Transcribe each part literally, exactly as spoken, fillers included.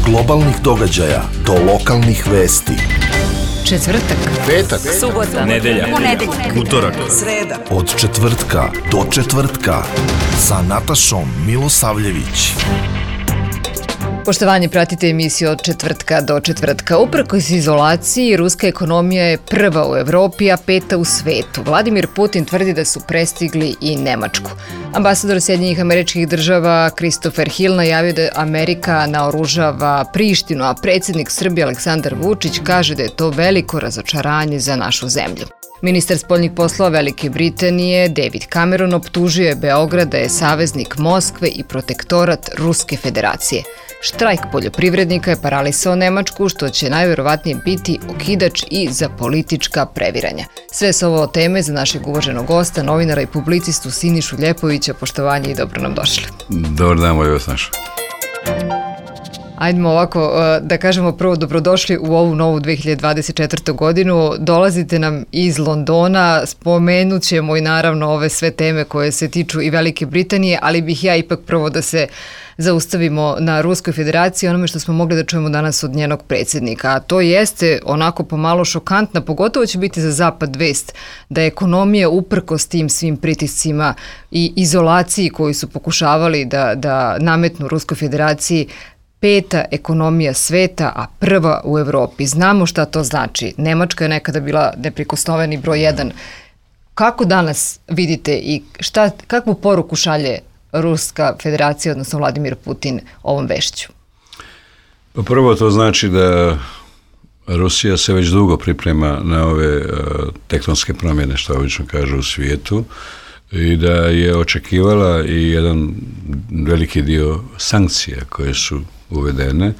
globalnih događaja do lokalnih vesti. Četvrtak, petak, subota, nedelja, ponedeljak, utorak, sreda. Od četvrtka do četvrtka sa Natašom Milosavljević. Poštovanje, pratite emisiju Od četvrtka do četvrtka. Uprkos izolaciji, ruska ekonomija je prva u Evropi, a peta u svetu. Vladimir Putin tvrdi da su prestigli i Nemačku. Ambasador Sjedinjenih Američkih Država Christopher Hill najavio da Amerika naoružava Prištinu, a predsjednik Srbije Aleksandar Vučić kaže da je to veliko razočaranje za našu zemlju. Ministar spoljnih poslova Velike Britanije David Cameron optužio je Beograd da je saveznik Moskve i protektorat Ruske federacije. Štrajk poljoprivrednika je paralisao Nemačku, što će najverovatnije biti okidač i za politička previranja. Sve su ovo teme za našeg uvaženog gosta, novinara i publicistu Sinišu Ljepovića. Poštovanje i dobro nam došli. Dobar dan, moj vas naš. Ajdemo ovako, da kažemo prvo dobrodošli u ovu novu dve hiljade dvadeset četvrtu. godinu. Dolazite nam iz Londona, spomenut ćemo i naravno ove sve teme koje se tiču i Velike Britanije, ali bih ja ipak prvo da se zaustavimo na Ruskoj federaciji, onome što smo mogli da čujemo danas od njenog predsjednika. A to jeste onako pomalo šokantna, pogotovo će biti za Zapad vest, da je ekonomija uprkos tim svim pritiscima i izolaciji koju su pokušavali da, da nametnu Ruskoj federaciji, peta ekonomija sveta, a prva u Evropi. Znamo šta to znači. Nemačka je nekada bila neprikosnoveni broj jedan. Kako danas vidite i šta, kakvu poruku šalje Ruska federacija, odnosno Vladimir Putin, ovom vešću? Pa prvo to znači da Rusija se već dugo priprema na ove uh, tektonske promjene, što obično kažu, u svijetu, i da je očekivala i jedan veliki dio sankcija koje su uvedene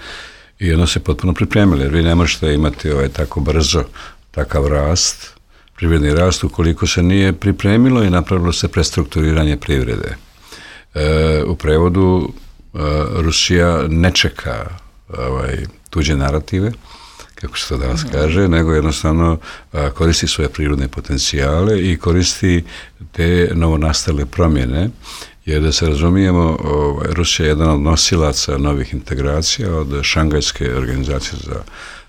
i ono se potpuno pripremili, jer vi ne možete imati ovaj tako brzo takav rast, privredni rast, ukoliko se nije pripremilo i napravilo se prestrukturiranje privrede. E, u prevodu e, Rusija ne čeka ovaj, tuđe narative, kako se to danas kaže, nego jednostavno a, koristi svoje prirodne potencijale i koristi te novonastale promjene, jer da se razumijemo, ovaj, Rusija je jedan od nosilaca novih integracija, od Šangajske organizacije za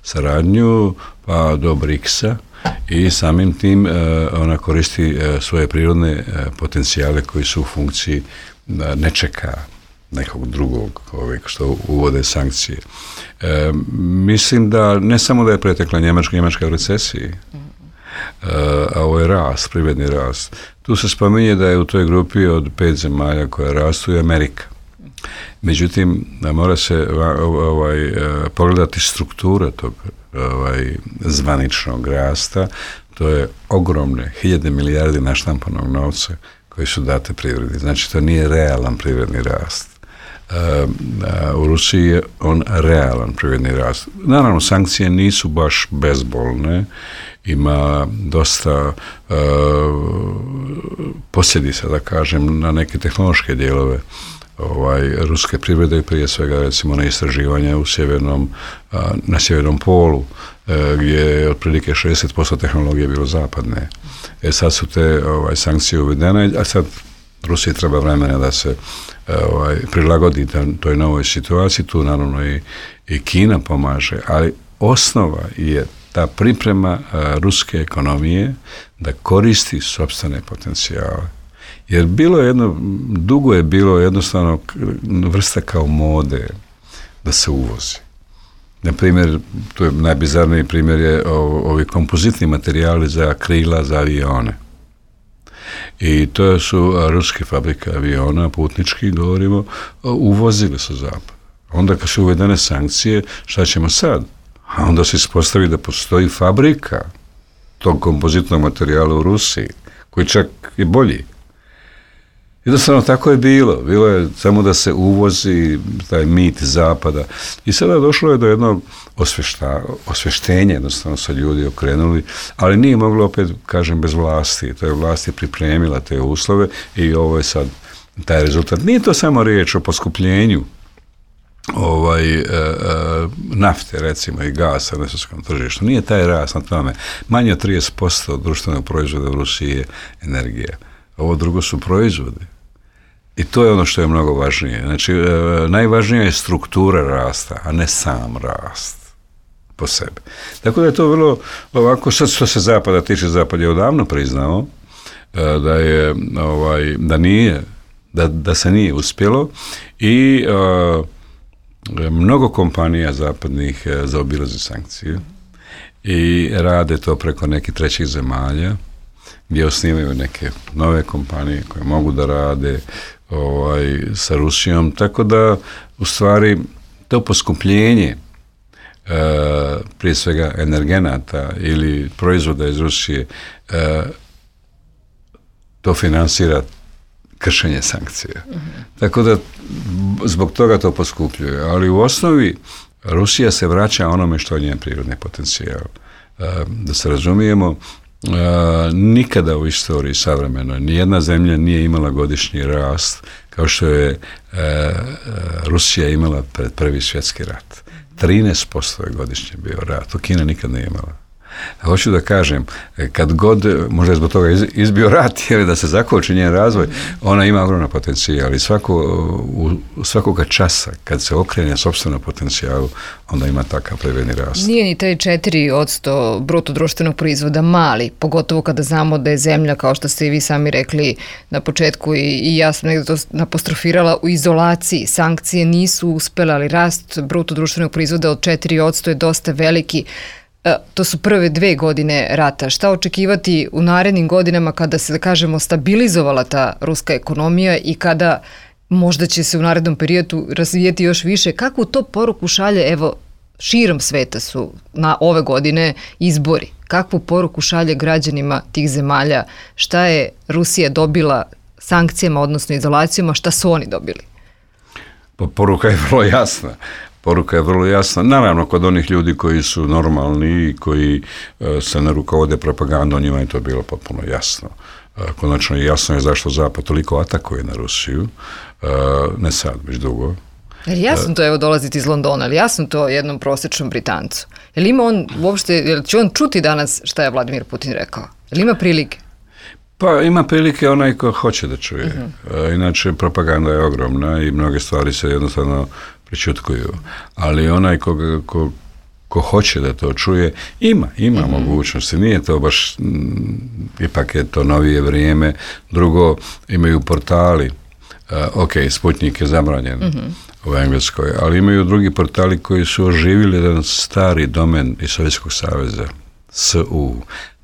saradnju pa do briksa, i samim tim a, ona koristi a, svoje prirodne a, potencijale koji su u funkciji a, ne čeka nekog drugog ovaj, što uvode sankcije. E, mislim da ne samo da je pretekla Njemačka, Njemačka u recesiji, e, a ovo je rast, privredni rast. Tu se spominje da je u toj grupi od pet zemalja koja rastu i Amerika. Međutim, mora se ovaj, pogledati struktura tog ovaj, zvaničnog rasta. To je ogromne hiljade milijardi naštampanog novca koji su date privredi. Znači, to nije realan privredni rast. U Rusiji je on realan privredni rast. Naravno, sankcije nisu baš bezbolne, ima dosta uh, posljedica, da kažem, na neke tehnološke dijelove ovaj, ruske privrede, prije svega recimo na istraživanje u sjevernom, uh, na sjevernom polu, uh, gdje je otprilike šezdeset posto tehnologije bilo zapadne. E sad su te ovaj, sankcije uvedene, a sad Rusiji treba vremena da se ovaj, prilagodi toj novoj situaciji, tu naravno i, i Kina pomaže, ali osnova je ta priprema a, ruske ekonomije da koristi sopstvene potencijale. Jer bilo je jedno, dugo je bilo jednostavno vrsta kao mode da se uvozi. Na primjer, to je najbizarniji primjer je ovi kompozitni materijali za krila za avione. I to su ruske fabrike aviona, putnički govorimo, uvozili su zapad. Onda kad su uvedene sankcije, šta ćemo sad? A onda se ispostavi da postoji fabrika tog kompozitnog materijala u Rusiji, koji čak je bolji. Jednostavno tako je bilo. Bilo je samo da se uvozi taj mit zapada. I sada došlo je do jednog osvešta, osveštenja, jednostavno se ljudi okrenuli, ali nije moglo opet, kažem, bez vlasti. To je vlast je pripremila te uslove i ovo je sad taj rezultat. Nije to samo riječ o poskupljenju ovaj, e, e, nafte, recimo, i gasa na svjetskom tržištu. Nije taj rast na tome. Manje od trideset posto društvenog proizvoda u Rusiji je energija. Ovo drugo su proizvodi. I to je ono što je mnogo važnije. Znači, najvažnija je struktura rasta, a ne sam rast po sebi. Tako da je to vrlo ovako, sad što se Zapada tiče, Zapad je odavno priznao da je, ovaj, da nije, da, da se nije uspjelo i uh, mnogo kompanija zapadnih zaobilazi sankcije i rade to preko nekih trećih zemalja gdje osnivaju neke nove kompanije koje mogu da rade ovaj, sa Rusijom, tako da u stvari to poskupljenje e, prije svega energenata ili proizvoda iz Rusije e, to finansira kršenje sankcija. Mm-hmm. Tako da zbog toga to poskupljuje, ali u osnovi Rusija se vraća onome što je njen prirodni potencijal. E, da se razumijemo, Uh, nikada u istoriji savremenoj nijedna zemlja nije imala godišnji rast kao što je uh, Rusija imala pred prvi svjetski rat. trinaest posto je godišnje bio rat, to Kina nikad nije imala. Hoću da kažem, kad god, možda je zbog toga izbio rat, jer da se zakoči njen razvoj, ona ima ogromna potencijal i svako, u svakoga časa, kad se okrene sopstvenom potencijalu, onda ima takav privredni rast. Nije ni taj četiri posto bruto društvenog proizvoda mali, pogotovo kada znamo da je zemlja, kao što ste i vi sami rekli na početku i, i ja sam nekdo to apostrofirala, u izolaciji. Sankcije nisu uspjela, ali rast bruto društvenog proizvoda od četiri posto je dosta veliki. To su prve dve godine rata. Šta očekivati u narednim godinama kada se, da kažemo, stabilizovala ta ruska ekonomija i kada možda će se u narednom periodu razvijeti još više? Kakvu to poruku šalje, evo, širom sveta su na ove godine izbori. Kakvu poruku šalje građanima tih zemalja? Šta je Rusija dobila sankcijama, odnosno izolacijama, šta su oni dobili? Pa poruka je vrlo jasna. Poruka je vrlo jasna. Naravno, kod onih ljudi koji su normalni i koji e, se ne rukovode propagandom, njima je to bilo potpuno jasno. E, konačno je jasno je zašto Zapad toliko atakuje na Rusiju. E, ne sad, već dugo. Jer jasno to, evo, dolaziti iz Londona, ali jasno to jednom prosječnom Britancu. Jel ima on uopšte, jel će on čuti danas šta je Vladimir Putin rekao? Jel ima prilike? Pa ima prilike onaj ko hoće da čuje. Uh-huh. E, inače, propaganda je ogromna i mnoge stvari se jednostavno pričutkuju, ali onaj ko, ko, ko hoće da to čuje, ima, ima mm-hmm. mogućnosti, nije to baš, m, ipak je to novije vrijeme. Drugo, imaju portali, uh, ok, Sputnik je zabranjen mm-hmm. u Engleskoj, ali imaju drugi portali koji su oživili jedan stari domen iz Sovjetskog saveza, S U,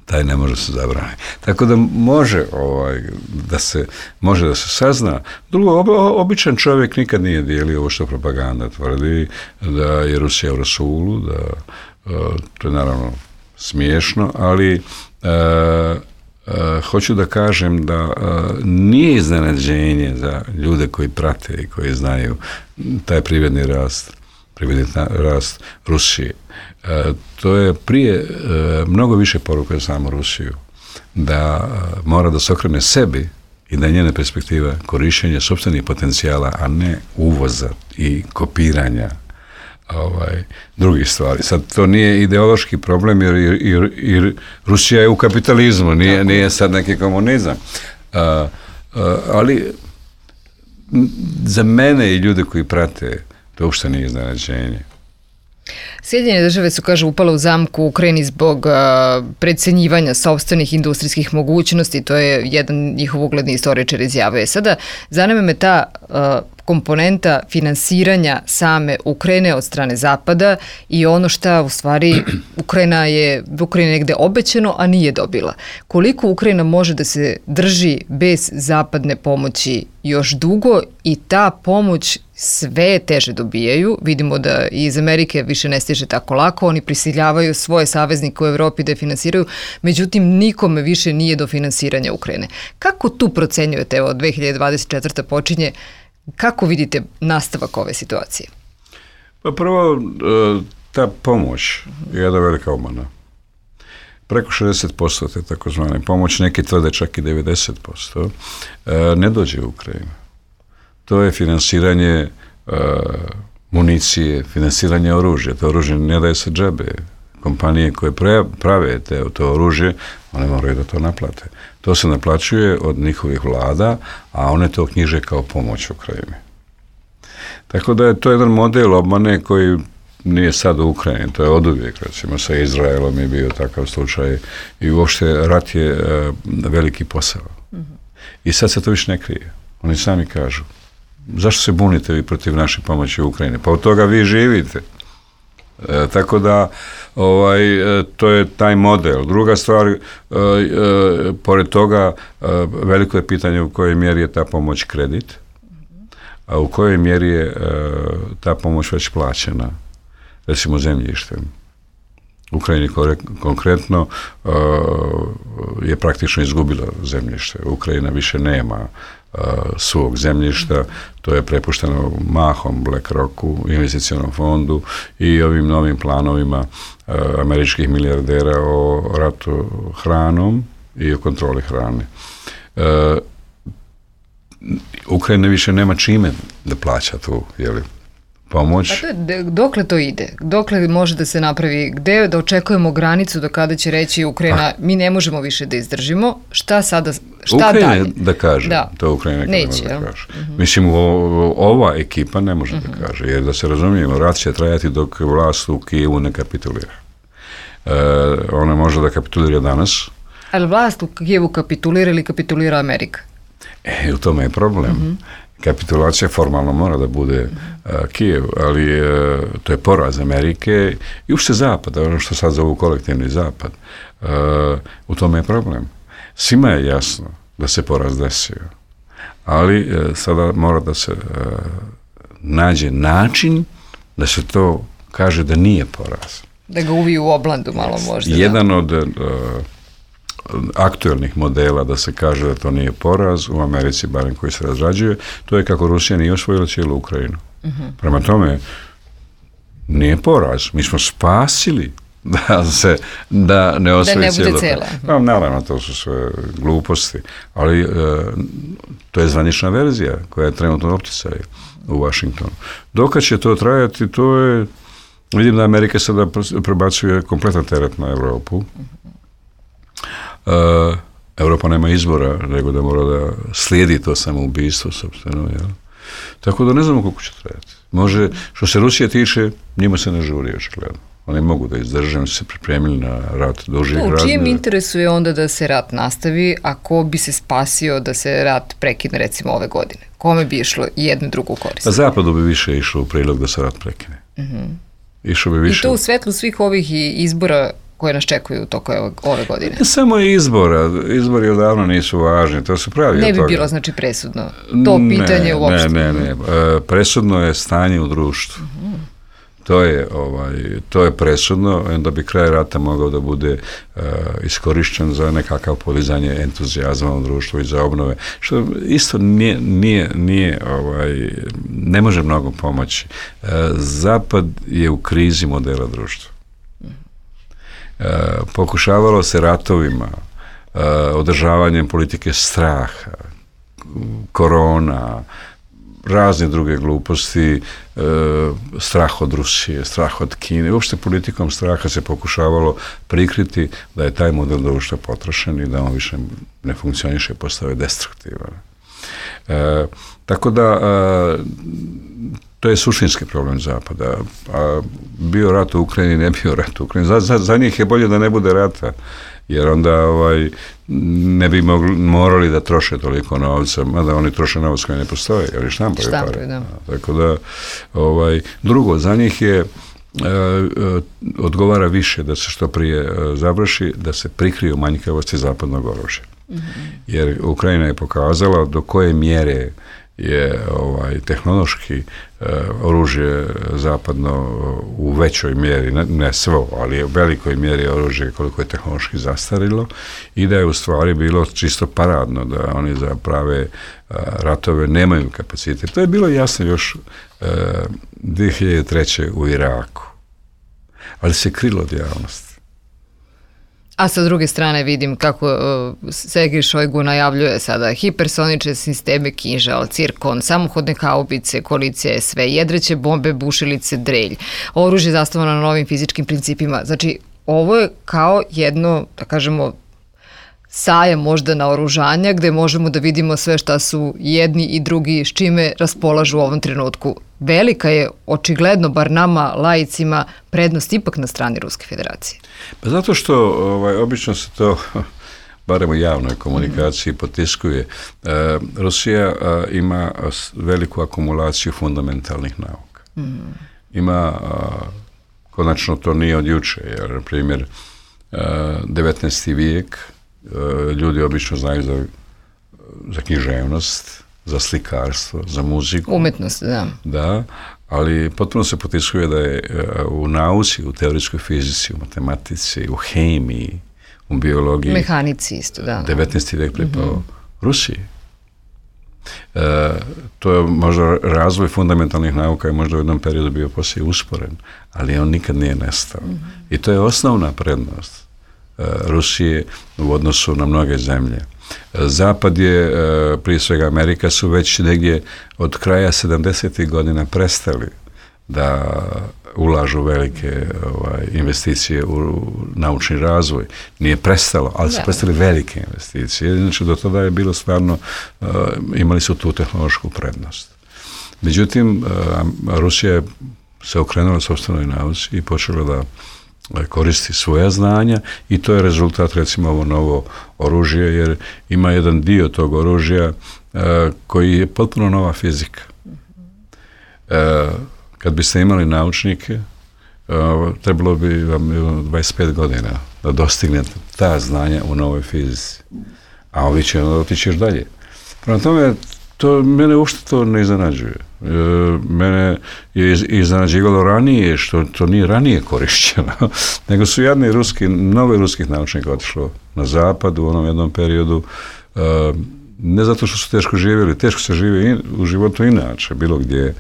taj ne može se zabraniti. Tako da može ovaj, da se može da se sazna. Drugo, ob, običan čovjek nikad nije dijelio ovo što propaganda tvrdi, da je Rusija u rasulu, da uh, to je naravno smiješno, ali uh, uh, hoću da kažem da uh, nije iznenađenje za ljude koji prate i koji znaju taj privredni rast, privredni rast Rusije. E, to je prije e, mnogo više poruka za samu Rusiju, da e, mora da se okrene sebi i da je njena perspektiva korištenja sopstvenih potencijala, a ne uvoza i kopiranja ovaj, drugih stvari. Sad, to nije ideološki problem, jer, jer, jer Rusija je u kapitalizmu, nije, nije sad neki komunizam. A, a, ali za mene i ljude koji prate, to uopšte nije iznenađenje. Sjedinjene države su, kaže, upale u zamku u Ukrajini zbog uh, precenjivanja sopstvenih industrijskih mogućnosti, to je jedan njihov ugledni istoričar izjavio. Sada, zanima me ta uh, komponenta finansiranja same Ukrajine od strane Zapada i ono šta u stvari Ukrajina je Ukrajina negde obećano, a nije dobila. Koliko Ukrajina može da se drži bez zapadne pomoći još dugo i ta pomoć sve teže dobijaju. Vidimo da iz Amerike više ne stiže tako lako, oni prisiljavaju svoje saveznike u Evropi da je finansiraju, međutim nikome više nije do finansiranja Ukrajine. Kako tu procenjujete, evo dve hiljade dvadeset četvrta počinje, kako vidite nastavak ove situacije? Pa prvo, ta pomoć je jedna velika obmana. Preko šezdeset posto te takozvane pomoć, neki tvrde čak i devedeset posto, ne dođe u Ukrajinu. To je finansiranje uh, municije, finansiranje oružja. To oružje ne daje se džabe. Kompanije koje prave te, to oružje, One moraju da to naplate. To se naplaćuje od njihovih vlada, a one to knjiže kao pomoć Ukrajini. Tako da je to jedan model obmane koji nije sad u Ukrajini, to je oduvijek, recimo sa Izraelom je bio takav slučaj i uopšte rat je uh, veliki posao. Mm-hmm. I sad se to više ne krije. Oni sami kažu, zašto se bunite vi protiv naše pomoći u Ukrajini? Pa od toga vi živite. E, tako da ovaj, e, to je taj model. Druga stvar, e, e, pored toga e, veliko je pitanje u kojoj mjeri je ta pomoć kredit, a u kojoj mjeri je e, ta pomoć već plaćena, recimo zemljištem. Ukrajini konkretno uh, je praktično izgubila zemljište. Ukrajina više nema uh, svog zemljišta, to je prepušteno mahom BlackRocku, investicionom fondu i ovim novim planovima uh, američkih milijardera o ratu hranom i o kontroli hrane. Uh, Ukrajina više nema čime da plaća tu, jeli, pomoć. A to je, dokle to ide? Dokle može da se napravi? Gde da očekujemo granicu do kada će reći Ukrajina, ah. mi ne možemo više da izdržimo? Šta sada, šta Ukrajina dalje? da kaže. Da. To Ukrajina ne može da kaže. Mm-hmm. Mislim, o, ova ekipa ne može mm-hmm. da kaže, jer da se razumijemo, rat će trajati dok vlast u Kijevu ne kapitulira. E, ona može da kapitulira danas. Ali vlast u Kijevu kapitulira ili kapitulira Amerika? E, u tome je problem. Mm-hmm. Kapitulacija formalno mora da bude uh, Kijev, ali uh, to je poraz Amerike i uopšte Zapada, ono što sad zovu kolektivni Zapad. Uh, u tome je problem. Svima je jasno da se poraz desio, ali uh, sada mora da se uh, nađe način da se to kaže da nije poraz. Da ga uviju u oblandu malo možda. Jedan da. od uh, aktuelnih modela da se kaže da to nije poraz u Americi, barem koji se razrađuje, to je kako Rusija nije osvojila cijelu Ukrajinu. Uh-huh. Prema tome, nije poraz. Mi smo spasili da se da ne osvoji cijelu Ukrajinu. Pa, naravno, to su sve gluposti, ali e, to je zvanična verzija koja je trenutno u opticaju u Washingtonu. Dokad će to trajati, to je, vidim da Amerika sada prebacuje kompletan teret na Europu. Uh-huh. Uh, Europa nema izbora, nego da mora da slijedi to samoubistvo, sobstveno, jel? Tako da ne znamo koliko će trajati. Može, što se Rusije tiče, njima se ne žuri, očigledno. Oni mogu da izdrže, oni su se pripremili na rat dužih razmjera. U čijem interesu je onda da se rat nastavi, a ko bi se spasio da se rat prekine, recimo, ove godine? Kome bi išlo jednu drugu korist? A Zapadu bi više išlo u prilog da se rat prekine. Uh-huh. Išlo bi više... I to u svetlu svih ovih izbora koje nas čekuju u toku ove godine. Ne samo izbora, izbori odavno nisu važni, to se pravi. Ne bi toga. Bilo znači presudno, to pitanje ne, uopšte. Ne, ne, ne, presudno je stanje u društvu. Uh-huh. To je, ovaj, to je presudno, onda bi kraj rata mogao da bude uh, iskorišćen za nekakav podizanje entuzijazma u društvu i za obnove, što isto nije, nije, nije ovaj, ne može mnogo pomoći. Uh, Zapad je u krizi modela društva. Uh, pokušavalo se ratovima, uh, održavanjem politike straha, korona, razne druge gluposti, uh, strah od Rusije, strah od Kine. Uopšte politikom straha se pokušavalo prikriti da je taj model društva potrošen i da on više ne funkcioniše, postao destruktivan. Uh, tako da uh, to je suštinski problem Zapada. A bio rat u Ukrajini, ne bio rat u Ukrajini. Za, za, za njih je bolje da ne bude rata, jer onda ovaj, ne bi mogli, morali da troše toliko novca, mada oni troše novac koji ne postoje, ali štampaju pare. Da. Tako da, ovaj, drugo, za njih je e, e, odgovara više da se što prije e, završi, da se prikriju manjkavosti zapadnog oružja. Mm-hmm. Jer Ukrajina je pokazala do koje mjere je ovaj tehnološki uh, oružje zapadno u većoj mjeri, ne, ne svo, ali u velikoj mjeri oružje koliko je tehnološki zastarilo i da je u stvari bilo čisto paradno da oni za prave uh, ratove nemaju kapacitet. To je bilo jasno još uh, dvije hiljade treće. u Iraku, ali se krilo od javnosti. A sa druge strane vidim kako uh, Sergej Šojgu najavljuje sada hipersonične sisteme Kinžal, Cirkon, samohodne haubice, koalicija S V, jedreće bombe, bušilice, drelj, oružje zasnovano na novim fizičkim principima. Znači, ovo je kao jedno, da kažemo, sajam možda naoružanja gde možemo da vidimo sve šta su jedni i drugi s čime raspolažu u ovom trenutku. Velika je, očigledno, bar nama, laicima, prednost ipak na strani Ruske federacije. Pa zato što ovaj, obično se to, barem u javnoj komunikaciji, mm-hmm. potiskuje. E, Rusija a, ima veliku akumulaciju fundamentalnih nauka. Mm-hmm. Ima, a, konačno to nije od juče, jer, na primjer, a, devetnaesti vijek, a, ljudi obično znaju za, za književnost, za slikarstvo, za muziku. Umetnost, da. Da, ali potpuno se potiskuje da je u nauci, u teorijskoj fizici, u matematici, u hemiji, u biologiji. Mehanici isto, da. devetnaesti vijek pripao mm-hmm. Rusiji. E, to je možda razvoj fundamentalnih nauka i možda u jednom periodu bio poslije usporen, ali on nikad nije nestao. Mm-hmm. I to je osnovna prednost e, Rusije u odnosu na mnoge zemlje. Zapad je, prije svega Amerika, su već negdje od kraja sedamdesetih godina prestali da ulažu velike ovaj, investicije u naučni razvoj. Nije prestalo, ali su prestali velike investicije. Znači, do tada je bilo stvarno, uh, imali su tu tehnološku prednost. Međutim, uh, Rusija se okrenula sopstvenoj nauci i počela da koristi svoja znanja i to je rezultat, recimo, ovo novo oružje, jer ima jedan dio tog oružja uh, koji je potpuno nova fizika. Uh, kad biste imali naučnike, uh, trebalo bi vam dvadeset pet godina da dostignete ta znanja u novoj fizici. A ovi će otići još dalje. Prema tome, to mene uopšte to ne iznenađuje. E, mene je iznenađivalo ranije, što to nije ranije korišćeno, nego su jadni ruski, mnogo ruskih naučnika otišlo na zapad u onom jednom periodu, e, ne zato što su teško živjeli, teško se živi in, u životu inače, bilo gdje,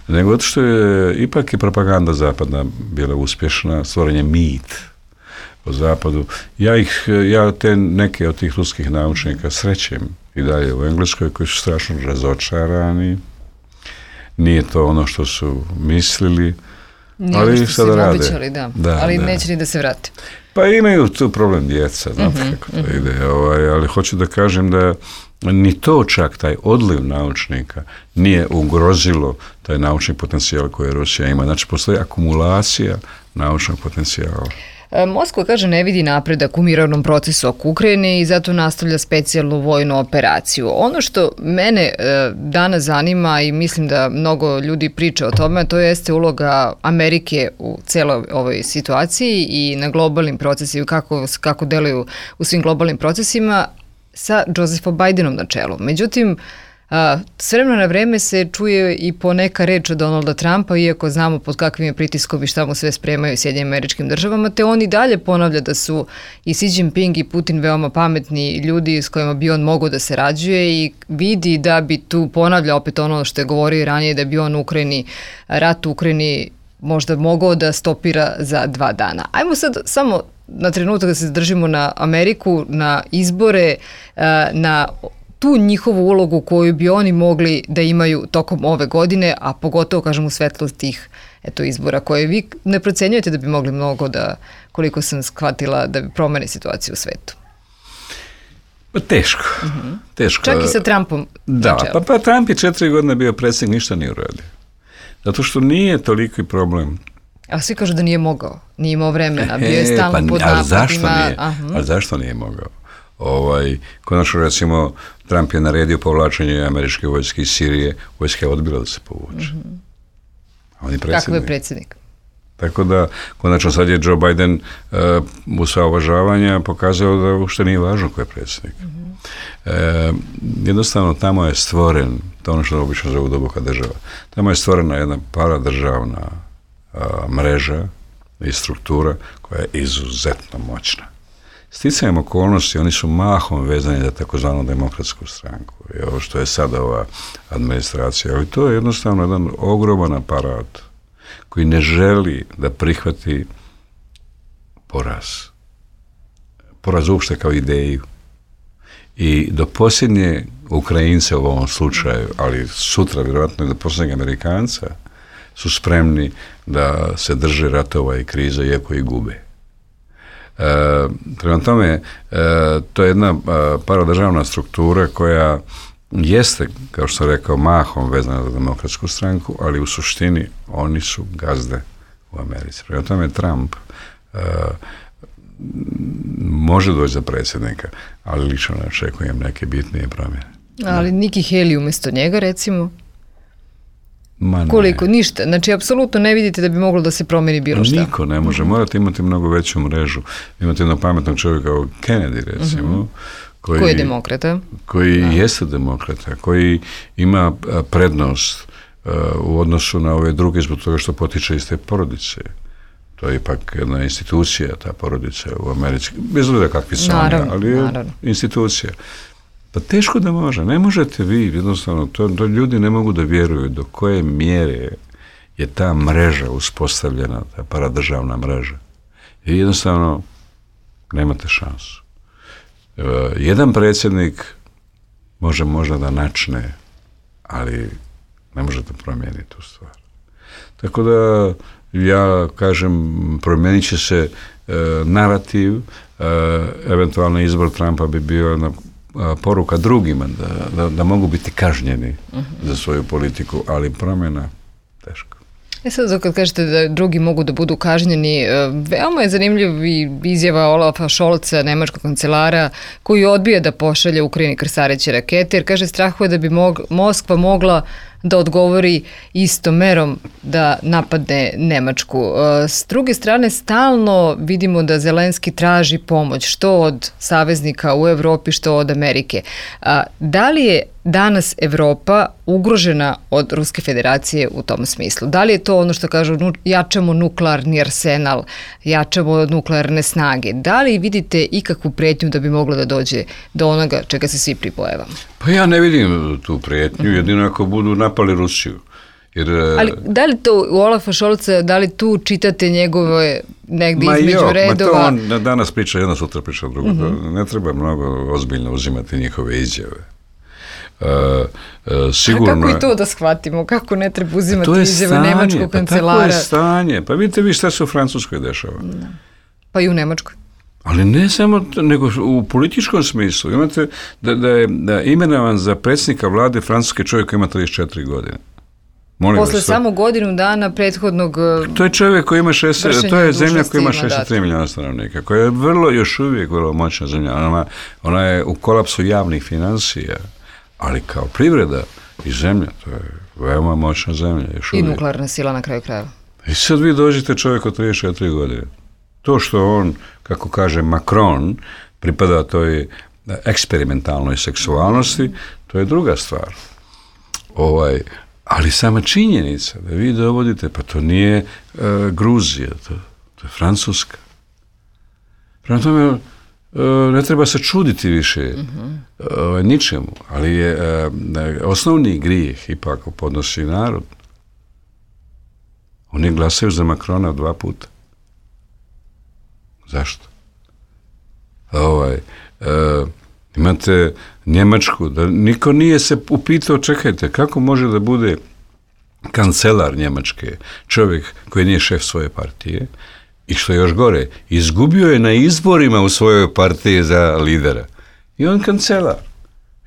nego zato što je ipak i propaganda zapadna bila uspješna, stvorenje mit o zapadu. Ja ih, ja te neke od tih ruskih naučnika srećem i dalje u Engleskoj, koji su strašno razočarani. Nije to ono što su mislili, nije ali što sada su rade. Običali, da. Da, ali da. neće ni da se vrati. Pa imaju tu problem djeca, znate mm-hmm, kako to mm-hmm. ide, ovaj, ali hoću da kažem da ni to čak, taj odliv naučnika, nije ugrozilo taj naučni potencijal koji Rusija ima. Znači, postoji akumulacija naučnog potencijala. Moskva, kaže, ne vidi napredak u mirovnom procesu oko Ukrajine i zato nastavlja specijalnu vojnu operaciju. Ono što mene e, danas zanima i mislim da mnogo ljudi priča o tome, to jeste uloga Amerike u celoj ovoj situaciji i na globalnim procesima, kako, kako deluju u svim globalnim procesima sa Josephom Bidenom na čelu. Međutim, A, s vremena na vreme se čuje i poneka reč od Donalda Trumpa, iako znamo pod kakvim je pritiskom i šta mu sve spremaju Sjedinjenim Američkim Državama, te on i dalje ponavlja da su i Xi Jinping i Putin veoma pametni ljudi s kojima bi on mogao da se rađuje i vidi da bi tu, ponavlja opet ono što je govorio i ranije, da bi on u Ukrajini, rat u Ukrajini možda mogao da stopira za dva dana. Ajmo sad samo na trenutak da se zadržimo na Ameriku, na izbore, na tu njihovu ulogu koju bi oni mogli da imaju tokom ove godine, a pogotovo, kažem, u svetlu tih eto, izbora koje vi ne procenjujete da bi mogli mnogo da, koliko sam shvatila, da bi promeni situaciju u svetu. Pa teško. Mm-hmm. Teško. Čak i sa Trumpom. Da, pa, pa Trump je četiri godine bio predsjednik, ništa nije uradio. Zato što nije toliki problem. A svi kažu da nije mogao, nije imao vremena, bio je stalno e, pa, pod ali napadima. Zašto nije? Ali zašto nije mogao? Ovaj, konačno, recimo, Trump je naredio povlačenje američke vojske iz Sirije, vojska je odbila da se povuče. Mm-hmm. On je predsjednik. Kako je predsjednik? Tako da, konačno sad je Joe Biden uh, u sva uvažavanja pokazao da uopšte nije važno ko je predsjednik. Mm-hmm. E, jednostavno, tamo je stvoren, to ono što obično zovu duboka država, tamo je stvorena jedna paradržavna uh, mreža i struktura koja je izuzetno moćna. Sticajem okolnosti, oni su mahom vezani za takozvanu demokratsku stranku. I ovo što je sada ova administracija. Ali to je jednostavno jedan ogroman aparat koji ne želi da prihvati poraz. Poraz uopšte kao ideju. I do posljednje Ukrajince u ovom slučaju, ali sutra vjerojatno i do posljednjeg Amerikanca, su spremni da se drže ratova i kriza, iako i gube. Prema tome, to je jedna paradržavna struktura koja jeste, kao što sam rekao, mahom vezana za demokratsku stranku, ali u suštini oni su gazde u Americi. Prema tome, Trump može doći za predsjednika, ali lično ne očekujem neke bitnije promjene. Ali Nikki Haley umjesto njega, recimo? Ma ne. Koliko? Ništa. Znači, apsolutno ne vidite da bi moglo da se promijeni bilo šta. Niko ne može. Morate imati mnogo veću mrežu. Imate jednog pametnog čovjeka kao Kennedy, recimo. Uh-huh. Koji, koji je demokrata. Koji da. jeste demokrata. Koji ima prednost uh, u odnosu na ove druge zbog toga što potiče iz te porodice. To je ipak jedna institucija, ta porodica u Americi. Bez obzira kakvi su oni, ali je naravno. institucija. Pa teško da može. Ne možete vi, jednostavno, to, to ljudi ne mogu da vjeruju do koje mjere je ta mreža uspostavljena, ta paradržavna mreža. I jednostavno nemate šansu. E, jedan predsjednik može možda da načne, ali ne može da promijeni tu stvar. Tako da ja kažem, promijenit će se e, narativ, e, eventualno izbor Trumpa bi bio na poruka drugima da, da, da mogu biti kažnjeni uh-huh. za svoju politiku, ali promjena teško. E sad, kad kažete da drugi mogu da budu kažnjeni, veoma je zanimljiv izjava Olafa Scholza, nemačkog kancelara, koji odbija da pošalje Ukrajini krstareće rakete, jer kaže strahuje da bi mog, Moskva mogla da odgovori istom merom da napadne Nemačku. S druge strane, stalno vidimo da Zelenski traži pomoć, što od saveznika u Evropi, što od Amerike. Da li je danas Evropa ugrožena od Ruske federacije u tom smislu? Da li je to ono što kažu, jačamo nuklearni arsenal, jačamo nuklearne snage? Da li vidite ikakvu prijetnju da bi moglo da dođe do onoga čega se svi pribojavamo? Pa ja ne vidim tu prijetnju, jedino ako budu napali Rusiju. Jer, ali da li to u Olafa Scholza, da li tu čitate njegove negdje ma između jo, redova? Ma to on danas priča jedno, sutra priča drugo. Mm-hmm. Ne treba mnogo ozbiljno uzimati njihove izjave. Uh, uh, sigurno... A kako i to da shvatimo? Kako ne treba uzimati izjave nemačkog kancelara? Pa tako je stanje. Pa vidite vi šta se u Francuskoj dešava. Da. Pa i u Nemačkoj. Ali ne samo, nego u političkom smislu. Imate da, da je da imenovan za predsjednika vlade Francuske čovjek koji ima trideset četiri godine. Molim Posle vas, samo godinu dana prethodnog to je čovjek koji ima šezdeset, to je zemlja koja ima šezdeset tri milijuna stanovnika, koja je vrlo, još uvijek vrlo moćna zemlja. Ona, ona je u kolapsu javnih financija, ali kao privreda i zemlja, to je veoma moćna zemlja. Još I uvijek. nuklearna sila na kraju krajeva. I sad vi dođete čovjek od trideset četiri godine. To što on, kako kaže Macron, pripada toj eksperimentalnoj seksualnosti, to je druga stvar. Ovaj, ali sama činjenica da vi dovodite, pa to nije uh, Gruzija, to, to je Francuska. Prema tome, uh, ne treba se čuditi više uh-huh. uh, ničemu, ali je uh, osnovni grijeh ipak podnosi narod. Oni glasaju za Macrona dva puta. Zašto? Ovaj, uh, imate Njemačku, da niko nije se upitao, čekajte, kako može da bude kancelar Njemačke, čovjek koji nije šef svoje partije, i što je još gore, izgubio je na izborima u svojoj partiji za lidera. I on kancelar.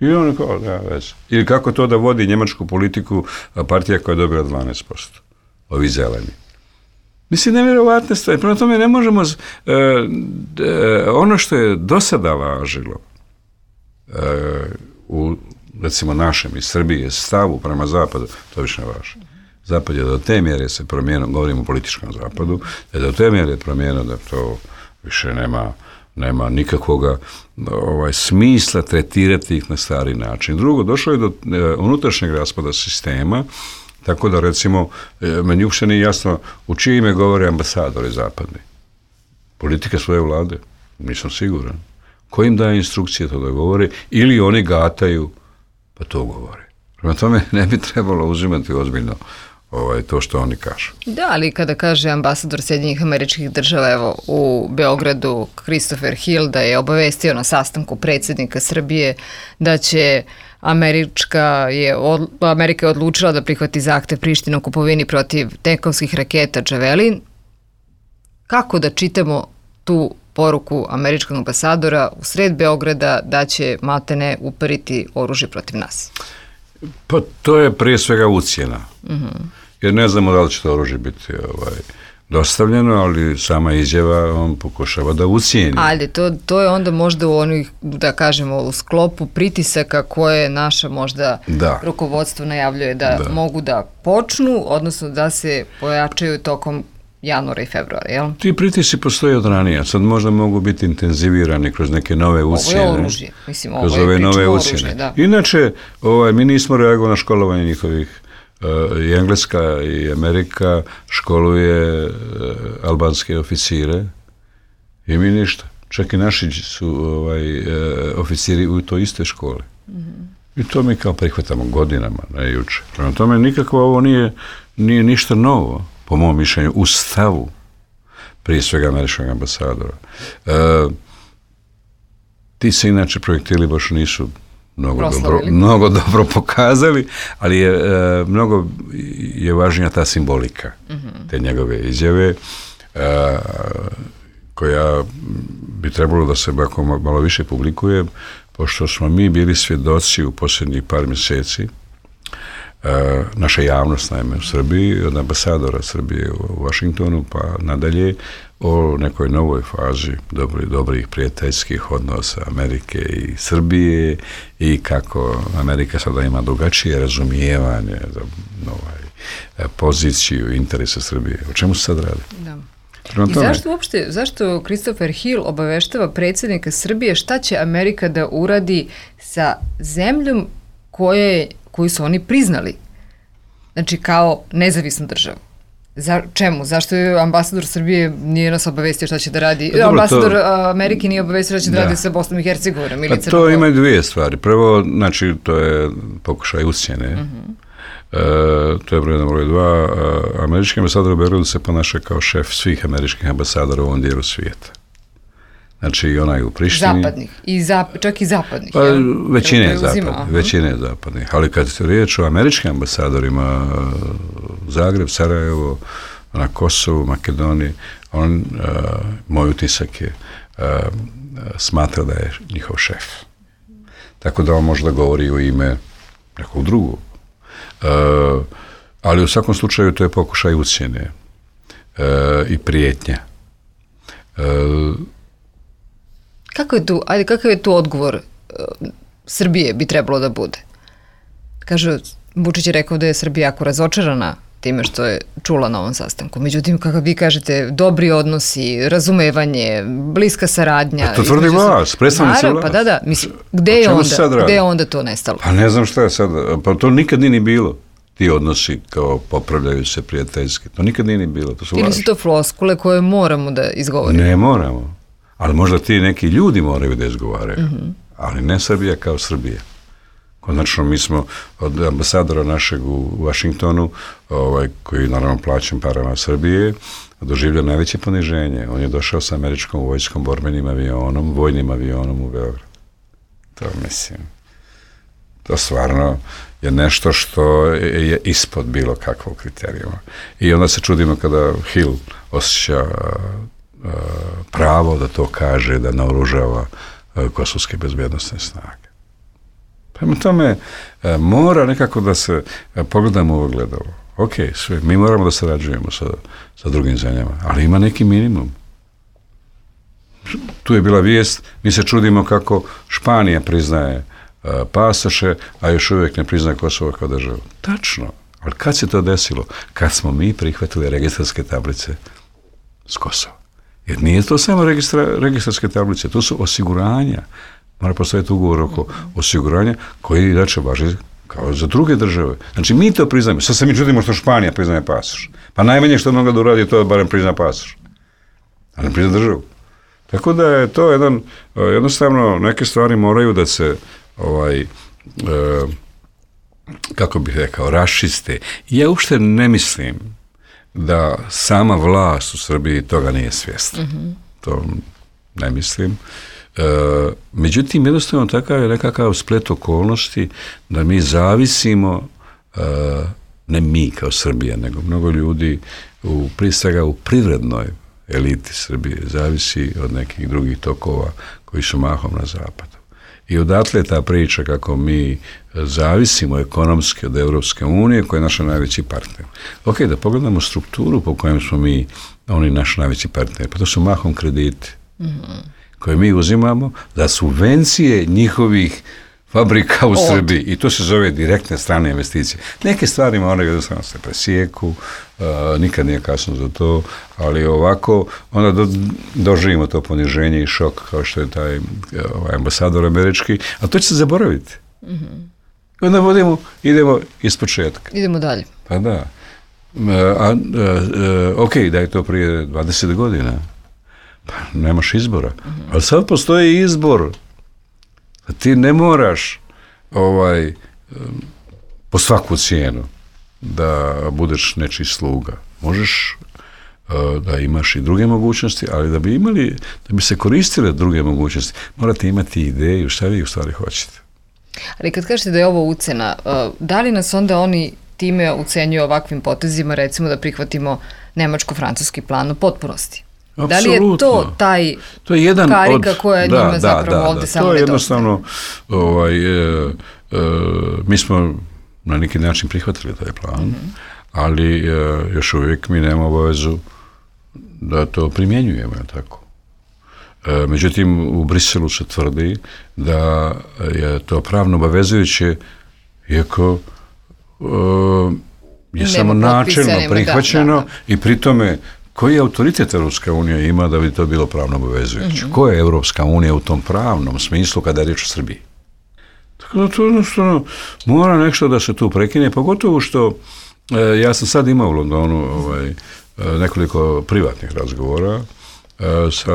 I on kao, da, već. Ili kako to da vodi njemačku politiku partija koja je dobila dvanaest posto. Ovi zeleni. Mislim, nevjerovatne stvari. Prema tome ne možemo... Uh, uh, ono što je do sada važilo uh, u, recimo, našem i Srbije stavu prema zapadu, to više ne važi. Zapad je do te mjere se promijenio, govorimo o političkom zapadu, da je do te mjere promijenio da to više nema, nema nikakvoga ovaj, smisla tretirati ih na stari način. Drugo, došlo je do uh, unutrašnjeg raspada sistema, tako da, recimo, meni uopšte nije jasno u čije ime govore ambasadori zapadni. Politika svoje vlade? Nisam siguran. Ko im daje instrukcije to da govore? Ili oni gataju, pa to govore. Prema tome ne bi trebalo uzimati ozbiljno ovaj, to što oni kažu. Da, ali kada kaže ambasador Sjedinjenih Američkih Država, evo, u Beogradu, Christopher Hill, da je obavestio na sastanku predsjednika Srbije da će Američka je, od, Amerika je odlučila da prihvati zahtev Prištine o kupovini protiv tenkovskih raketa Javelin. Kako da čitamo tu poruku američkog ambasadora u sred Beograda da će maltene uperiti oružje protiv nas? Pa to je prije svega ucjena. Mm-hmm. Jer ne znamo da li će to oružje biti ovaj, dostavljeno, ali sama izjava on pokušava da ucijeni. Ali to, to je onda možda u onih, da kažemo, u sklopu pritisaka koje naša možda da. rukovodstvo najavljuje da, da mogu da počnu, odnosno da se pojačaju tokom januara i februara, jel? Ti pritisci postoje od ranije, sad možda mogu biti intenzivirani kroz neke nove ucijene. Ovo je oružje, mislim, ovo kroz je ove nove oružje, da. Inače, ovaj, mi nismo reagovali na školovanje njihovih. Uh, i Engleska i Amerika školuje uh, albanske oficire i mi ništa. Čak i naši su ovaj, uh, oficiri u toj iste škole. Mm-hmm. I to mi kao prihvatamo godinama, ne juče. Prema tome, nikako ovo nije, nije ništa novo, po mom mišljenju, u stavu prije svega američkog ambasadora. Uh, ti se inače projektili baš nisu Mnogo dobro, mnogo dobro pokazali, ali je e, mnogo je važnija ta simbolika mm-hmm. te njegove izjave e, koja bi trebalo da se bako malo više publikuje, pošto smo mi bili svjedoci u posljednjih par mjeseci, e, naša javnost naime u Srbiji, od ambasadora Srbije u Vašingtonu pa nadalje, o nekoj novoj fazi dobrih, dobrih prijateljskih odnosa Amerike i Srbije i kako Amerika sada ima drugačije razumijevanje za ovaj, poziciju interesa Srbije. O čemu se sad radi? Da. I zašto uopšte, zašto Christopher Hill obaveštava predsjednika Srbije šta će Amerika da uradi sa zemljom koje, koju su oni priznali? Znači kao nezavisnu državu. Za čemu? Zašto je ambasador Srbije nije nas obavestio šta će da radi? Dobro, ambasador to, Amerike nije obavestio šta će da, da radi sa Bosnom i Hercegovinom ili Crnom Gorom? To ima dvije stvari. Prvo, znači, to je pokušaj ucjene. Uh-huh. E, to je broj jedan, broj dva. E, američki ambasador u Beogradu se ponaša kao šef svih američkih ambasadora u ovom dijelu svijeta. Znači, i onaj u Prištini. Zapadnih. I zap, čak i zapadnih. Pa, većine je zapadnih. Većine je zapadnih. Ali kad se riječ o američkim ambasadorima, Zagreb, Sarajevo, na Kosovu, Makedoniji, on, uh, moj utisak je, uh, smatra da je njihov šef. Tako da on možda govori u ime nekog drugog. Uh, ali u svakom slučaju to je pokušaj ucjene uh, i prijetnja. Uh, Kako je tu, ajde, kakav je tu odgovor uh, Srbije bi trebalo da bude? Kaže, Vučić je rekao da je Srbija jako razočarana time što je čula na ovom sastanku. Međutim, kako vi kažete, dobri odnosi, razumevanje, bliska saradnja. A to tvrdi vas, predstavnici vlast. Pa da, da, mislim, gde je, onda, gde je onda to nestalo? Pa ne znam šta je sad, pa to nikad nije ni bilo. Ti odnosi kao popravljaju se prijateljski. To nikad nije ni bilo. To su Ili su to floskule koje moramo da izgovorimo? Ne moramo. Ali možda ti neki ljudi moraju da izgovaraju. Mm-hmm. Ali ne Srbija kao Srbija. Konačno, mi smo od ambasadora našeg u Vašingtonu, ovaj, koji naravno plaćen parama Srbije, doživlja najveće poniženje. On je došao sa američkom vojskom, borbenim avionom, vojnim avionom u Beograd. To mislim, to stvarno je nešto što je ispod bilo kakvog kriterijuma. I onda se čudimo kada Hill osjeća uh, pravo da to kaže, da naoružava uh, kosovske bezbjednosne snage. Prema tome, mora nekako da se pogledamo u ogledalo. Ok, sve, mi moramo da sarađujemo sa, sa drugim zemljama, ali ima neki minimum. Tu je bila vijest, mi se čudimo kako Španija priznaje uh, pasoše, a još uvijek ne priznaje Kosovo kao državu. Tačno, ali kad se to desilo? Kad smo mi prihvatili registarske tablice s Kosova. Jer nije to samo registra, registarske tablice, to su osiguranja. Mora postojati ugovor oko osiguranja koji inače važi kao za druge države. Znači, mi to priznajemo. Sad se mi čudimo što Španija priznaje pasoš. Pa najmanje što mnogo da uradi to je barem prizna pasoš. A ne prizna državu. Tako da je to jedan, jednostavno, neke stvari moraju da se, ovaj, e, kako bih rekao, raščiste. Ja uopšte ne mislim da sama vlast u Srbiji toga nije svjesna. Mm-hmm. To ne mislim. E, međutim, jednostavno takav je nekakav splet okolnosti da mi zavisimo, e, ne mi kao Srbija, nego mnogo ljudi u, prije svega u privrednoj eliti Srbije, zavisi od nekih drugih tokova koji su mahom na zapadu. I odatle ta priča kako mi zavisimo ekonomski od Evropske unije, koja je naša najveći partner. Ok, da pogledamo strukturu po kojem smo mi, oni naš najveći partner, pa to su mahom krediti mm-hmm. koje mi uzimamo za subvencije njihovih fabrika u Srbiji. I to se zove direktne strane investicije. Neke stvari one jednostavno se presijeku, uh, nikad nije kasno za to, ali ovako onda do, doživimo to poniženje i šok kao što je taj ovaj, ambasador američki, a to će se zaboraviti. Mm-hmm. Onda vodimo, idemo iz početka. Idemo dalje. Pa da. Uh, a, uh, uh, ok, da je to prije dvadeset godina. Pa nemaš izbora. Mm-hmm. Ali sad postoji izbor. Ti ne moraš ovaj, po svaku cijenu da budeš nečiji sluga. Možeš uh, da imaš i druge mogućnosti, ali da bi imali, da bi se koristile druge mogućnosti, morate imati ideju šta vi u stvari hoćete. Ali kad kažete da je ovo ucena, uh, da li nas onda oni time ucenjuju ovakvim potezima, recimo da prihvatimo nemačko-francuski plan u potpunosti? Apsolutno. Da li je to taj to je jedan karika od, koja da, njima da, zapravo da, ovde da, samo to je nedostaje? jednostavno ovaj, e, e, mi smo na neki način prihvatili taj plan, mm-hmm. ali e, još uvijek mi nemamo obavezu da to primjenjujemo, tako. E, međutim, u Briselu se tvrdi da je to pravno obavezujuće, iako e, je Nema samo načelno prihvaćeno da, da, da. I pri tome koji autoritet Evropska unija ima da bi to bilo pravno obavezujuće? Mm-hmm. Koja je Evropska unija u tom pravnom smislu kada je riječ o Srbiji? Tako da to jednostavno mora nešto da se tu prekine, pogotovo što e, ja sam sad imao u Londonu ovaj, nekoliko privatnih razgovora e, sa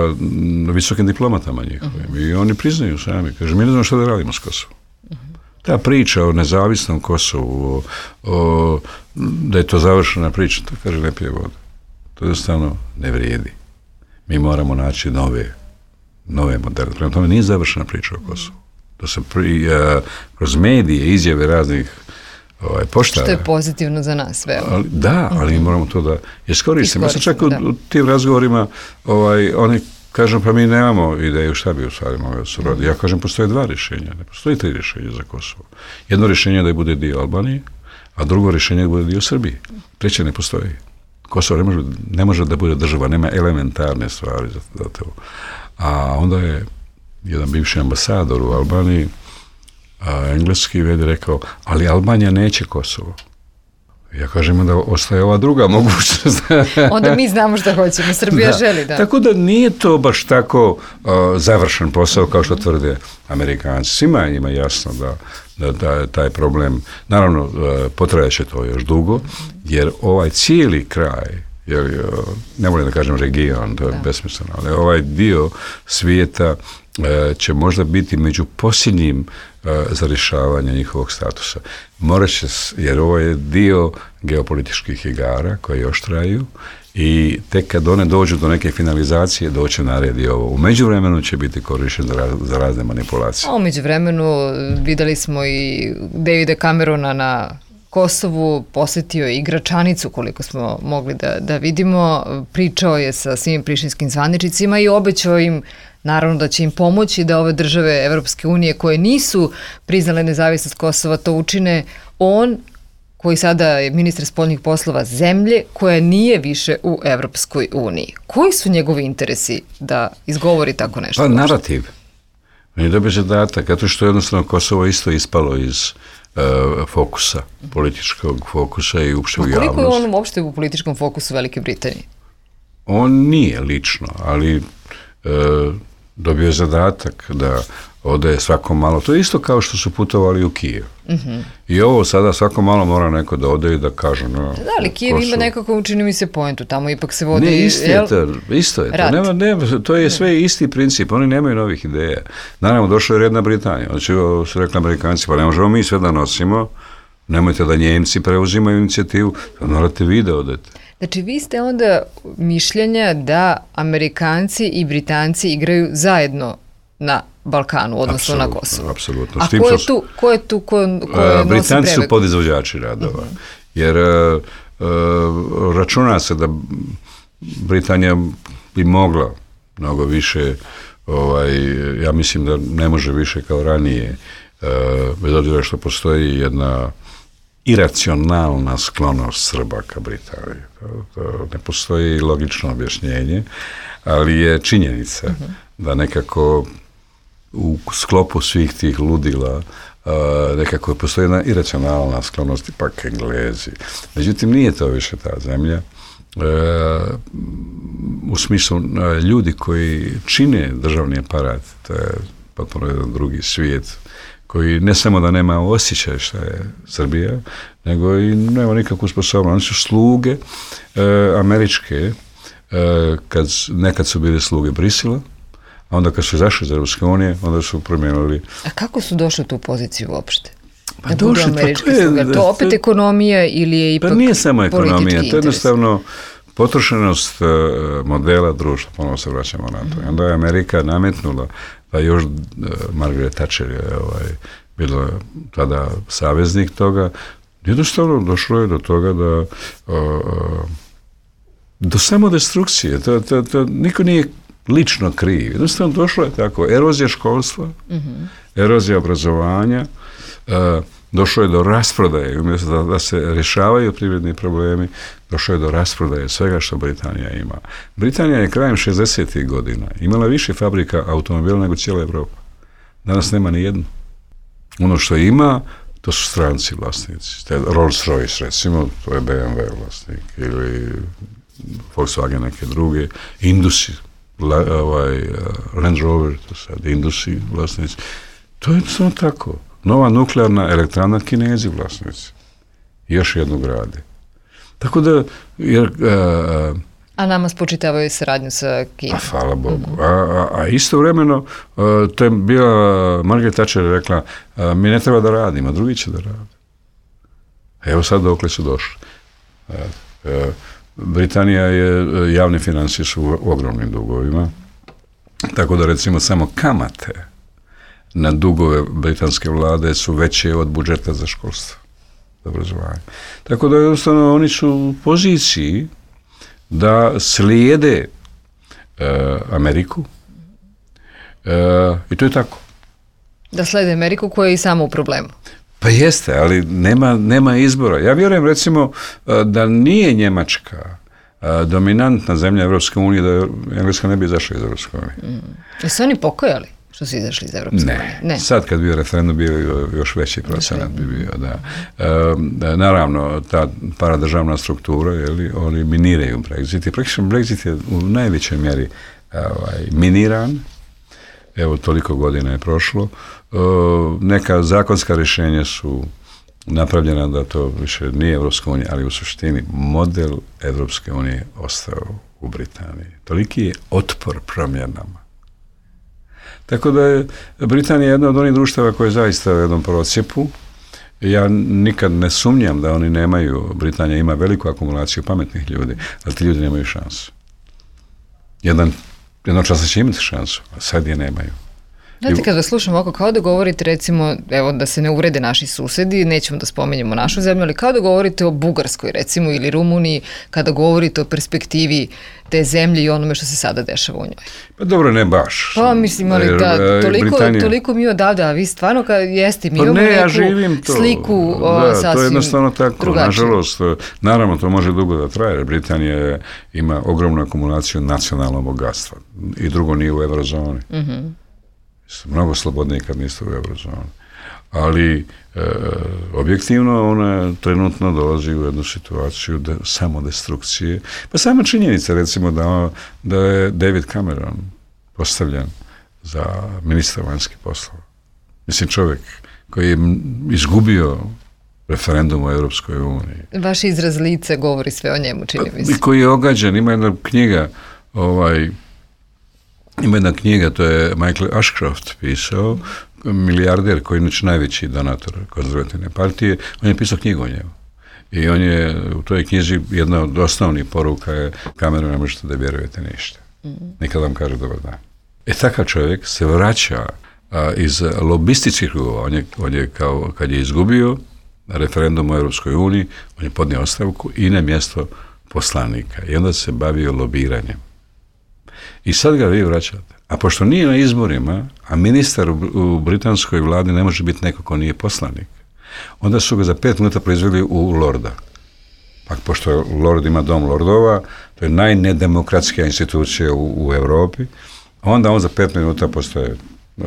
visokim diplomatama njihovim mm-hmm. i oni priznaju sami, kaže, mi ne znamo što da radimo s Kosovom. Mm-hmm. Ta priča o nezavisnom Kosovu, o, o, da je to završena priča, to kaže ne pije voda. To jednostavno ne vrijedi. Mi moramo naći nove, nove modele. Prema tome nije završena priča o Kosovu. To se pri, uh, kroz medije, izjave raznih ovaj, poštara. Što je pozitivno za nas, veoma. Ali, da, ali mm-hmm. moramo to da iskoristimo. Ja sam čak u, u tim razgovorima ovaj, oni kažu, pa mi nemamo ideju šta bi u stvari mogli su radi. Ja kažem, postoje dva rješenja. Ne postoji tri rješenja za Kosovo. Jedno rješenje je da bude dio Albanije, a drugo rješenje je da bude dio Srbije. Treće ne postoji. Kosovo ne može, ne može da bude država, nema elementarne stvari za, za to. A onda je jedan bivši ambasador u Albaniji, a, engleski vedi rekao, ali Albanija neće Kosovo. Ja kažem da ostaje ova druga mogućnost. Onda mi znamo šta hoćemo, Srbija da. želi, da. Tako da nije to baš tako uh, završen posao kao što tvrde Amerikanci. Svima ima jasno da, da, da je taj problem, naravno uh, potrajaće to još dugo, jer ovaj cijeli kraj, jer, uh, ne volim da kažem region, to je da. besmisleno, ali ovaj dio svijeta uh, će možda biti među posljednjim za rješavanje njihovog statusa. Morat će, jer ovo je dio geopolitičkih igara koje još traju i tek kad one dođu do neke finalizacije, doće na red i ovo. U međuvremenu će biti korišten za, raz, za razne manipulacije. A u međuvremenu videli smo i Davida Camerona na Kosovu, posjetio je i Gračanicu, koliko smo mogli da, da vidimo, pričao je sa svim prištinskim zvaničnicima i obećao im naravno da će im pomoći da ove države Evropske unije koje nisu priznale nezavisnost Kosova to učine. On, koji sada je ministar spoljnih poslova zemlje, koja nije više u Evropskoj uniji. Koji su njegovi interesi da izgovori tako nešto? Pa narativ. On je dobio zadatak, zato što jednostavno Kosovo isto ispalo iz uh, fokusa, političkog fokusa i uopšte u javnosti. Koliko je on uopšte u političkom fokusu Velike Britanije? On nije lično, ali uh, dobio je zadatak da ode svako malo. To je isto kao što su putovali u Kijev. Mm-hmm. I ovo sada svako malo mora neko da ode i da kaže... No, da, ali Kijev ima nekako, učini mi se, poentu. Tamo ipak se vodi... Ne, isto je to. Isto je to. Nema, nema, to je sve isti princip. Oni nemaju novih ideja. Naravno, došla je red na Britaniju. Znači, su rekli Amerikanci, pa ne možemo mi sve da nosimo. Nemojte da Njemci preuzimaju inicijativu. Morate vi da odete. Znači, vi ste onda mišljenja da Amerikanci i Britanci igraju zajedno na Balkanu, odnosno apsolutno, na Kosovu. Apsolutno. A ko je tu, ko je tu, ko, ko je Britanci su podizvođači radova. Uh-huh. Jer uh, uh, računa se da Britanija bi mogla mnogo više, ovaj, ja mislim da ne može više kao ranije, uh, bez obzira što postoji jedna iracionalna sklonost Srba ka Britaniji. To, to ne postoji logično objašnjenje, ali je činjenica uh-huh. da nekako u sklopu svih tih ludila uh, nekako postoji jedna iracionalna sklonost, ipak Englezi. Međutim, nije to više ta zemlja. Uh, u smislu uh, ljudi koji čine državni aparat, to je potpuno jedan drugi svijet, koji ne samo da nema osjećaj šta je Srbija, nego i nema nikakvu sposobnost. Oni su sluge uh, američke, uh, kad, nekad su bili sluge Brisela, a onda kad su izašli iz Europske unije, onda su promijenili. A kako su došli u tu poziciju uopšte? Pa da došli, američki pa to je, sluga. To opet to, ekonomija ili je ipak pa nije samo ekonomija, to je jednostavno interes? Potrošenost uh, modela društva, ponovno se vraćamo na to. Mm-hmm. Onda je Amerika nametnula, pa još uh, Margaret Thatcher je ovaj, bila tada saveznik toga, jednostavno došlo je do toga da uh, do samodestrukcije, to, to, to niko nije lično kriv. Jednostavno došlo je tako, erozija školstva, mm-hmm. erozija obrazovanja, uh, došlo je do rasprodaje, umjesto da, da se rješavaju privredni problemi, došlo je do rasprodaje svega što Britanija ima. Britanija je krajem šezdesetih godina imala više fabrika automobila nego cijela Evropa. Danas nema ni jednu. Ono što ima, to su stranci vlasnici. Rolls-Royce, recimo, to je B M W vlasnik, ili Volkswagen neke druge, Indusi, la, ovaj, Land Rover, to sad Indusi vlasnici. To je samo tako. Nova nuklearna elektrana, Kinezi vlasnici. Još jednu grade. Tako da, jer... A, a nama spočitavaju saradnju sa Kinom. A hvala Bogu. Mm-hmm. A, a, a istovremeno, a, to je bila, Margaret Thatcher rekla, a, mi ne treba da radimo, drugi će da rade. Evo sad dokle su došli. A, a, Britanija je, javne financije su u ogromnim dugovima, tako da recimo samo kamate na dugove britanske vlade su veće od budžeta za školstvo, za obrazovanje. Tako da jednostavno oni su u poziciji da slijede uh, Ameriku uh, i to je tako. Da slijede Ameriku koja je i samo u problemu. Pa jeste, ali nema, nema izbora. Ja vjerujem recimo uh, da nije Njemačka uh, dominantna zemlja Evropske unije, da Engleska ne bi izašla iz Evropske unije. Mm. Jesu oni pokojali što su izašli iz Evropske ne. unije? Ne. Sad kad bio referendum bio još veći procenat bi bio, da. E, da naravno, ta paradržavna struktura, jeli, oni miniraju Brexit. I praktično Brexit je u najvećoj mjeri ovaj, miniran. Evo, toliko godina je prošlo. E, neka zakonska rješenja su napravljena da to više nije Evropska unija, ali u suštini model Evropske unije ostao u Britaniji. Toliki je otpor promjenama. Tako da je Britanija jedna od onih društava koje je zaista u jednom procjepu. Ja nikad ne sumnjam da oni nemaju, Britanija ima veliku akumulaciju pametnih ljudi, ali ti ljudi nemaju šansu. Jedan, jednog časa će imati šansu, a sad je nemaju. Znate, kad vas slušam oko, kao da govorite, recimo, evo, da se ne uvrede naši susedi, nećemo da spomenjemo našu zemlju, ali kao da govorite o Bugarskoj, recimo, ili Rumuniji, kada govorite o perspektivi te zemlje i onome što se sada dešava u njoj. Pa dobro, ne baš. Pa mislim, ali jer, da, toliko, Britanija... toliko mi odavde, a vi stvarno, kad jeste, mi pa imamo ne, neku ja živim to. Sliku da, o, sasvim to je jednostavno tako, drugačije. Nažalost, naravno, to može dugo da traje, jer Britanija ima ogromnu akumulaciju nacionalnog bogatstva i drugo nije u eurozoni. Mhm. Mnogo slobodnije kad niste u eurozoni. Ali e, objektivno ona trenutno dolazi u jednu situaciju de, samodestrukcije. Pa sama činjenica recimo da, da je David Cameron postavljen za ministra vanjskih poslova. Mislim čovjek koji je izgubio referendum u Europskoj uniji. Vaš izraz lice govori sve o njemu, čini mi se. I koji je ogađen, ima jedna knjiga ovaj Ima jedna knjiga, to je Michael Ashcroft pisao, milijarder koji je inače najveći donator konzervativne partije, on je pisao knjigu o njemu. I on je, u toj knjizi jedna od osnovnih poruka je Cameron, ne možete da vjerujete ništa. Nikad vam kaže dobar dan. E takav čovjek se vraća a, iz lobističkih krugova. On je, on je kao, kad je izgubio referendum u Europskoj uniji, on je podnio ostavku i na mjesto poslanika. I onda se bavio lobiranjem. I sad ga vi vraćate. A pošto nije na izborima, a ministar u, u britanskoj vladi ne može biti neko ko nije poslanik, onda su ga za pet minuta proizveli u lorda. Pa pošto lord ima dom lordova, to je najnedemokratskija institucija u, u Europi, onda on za pet minuta postaje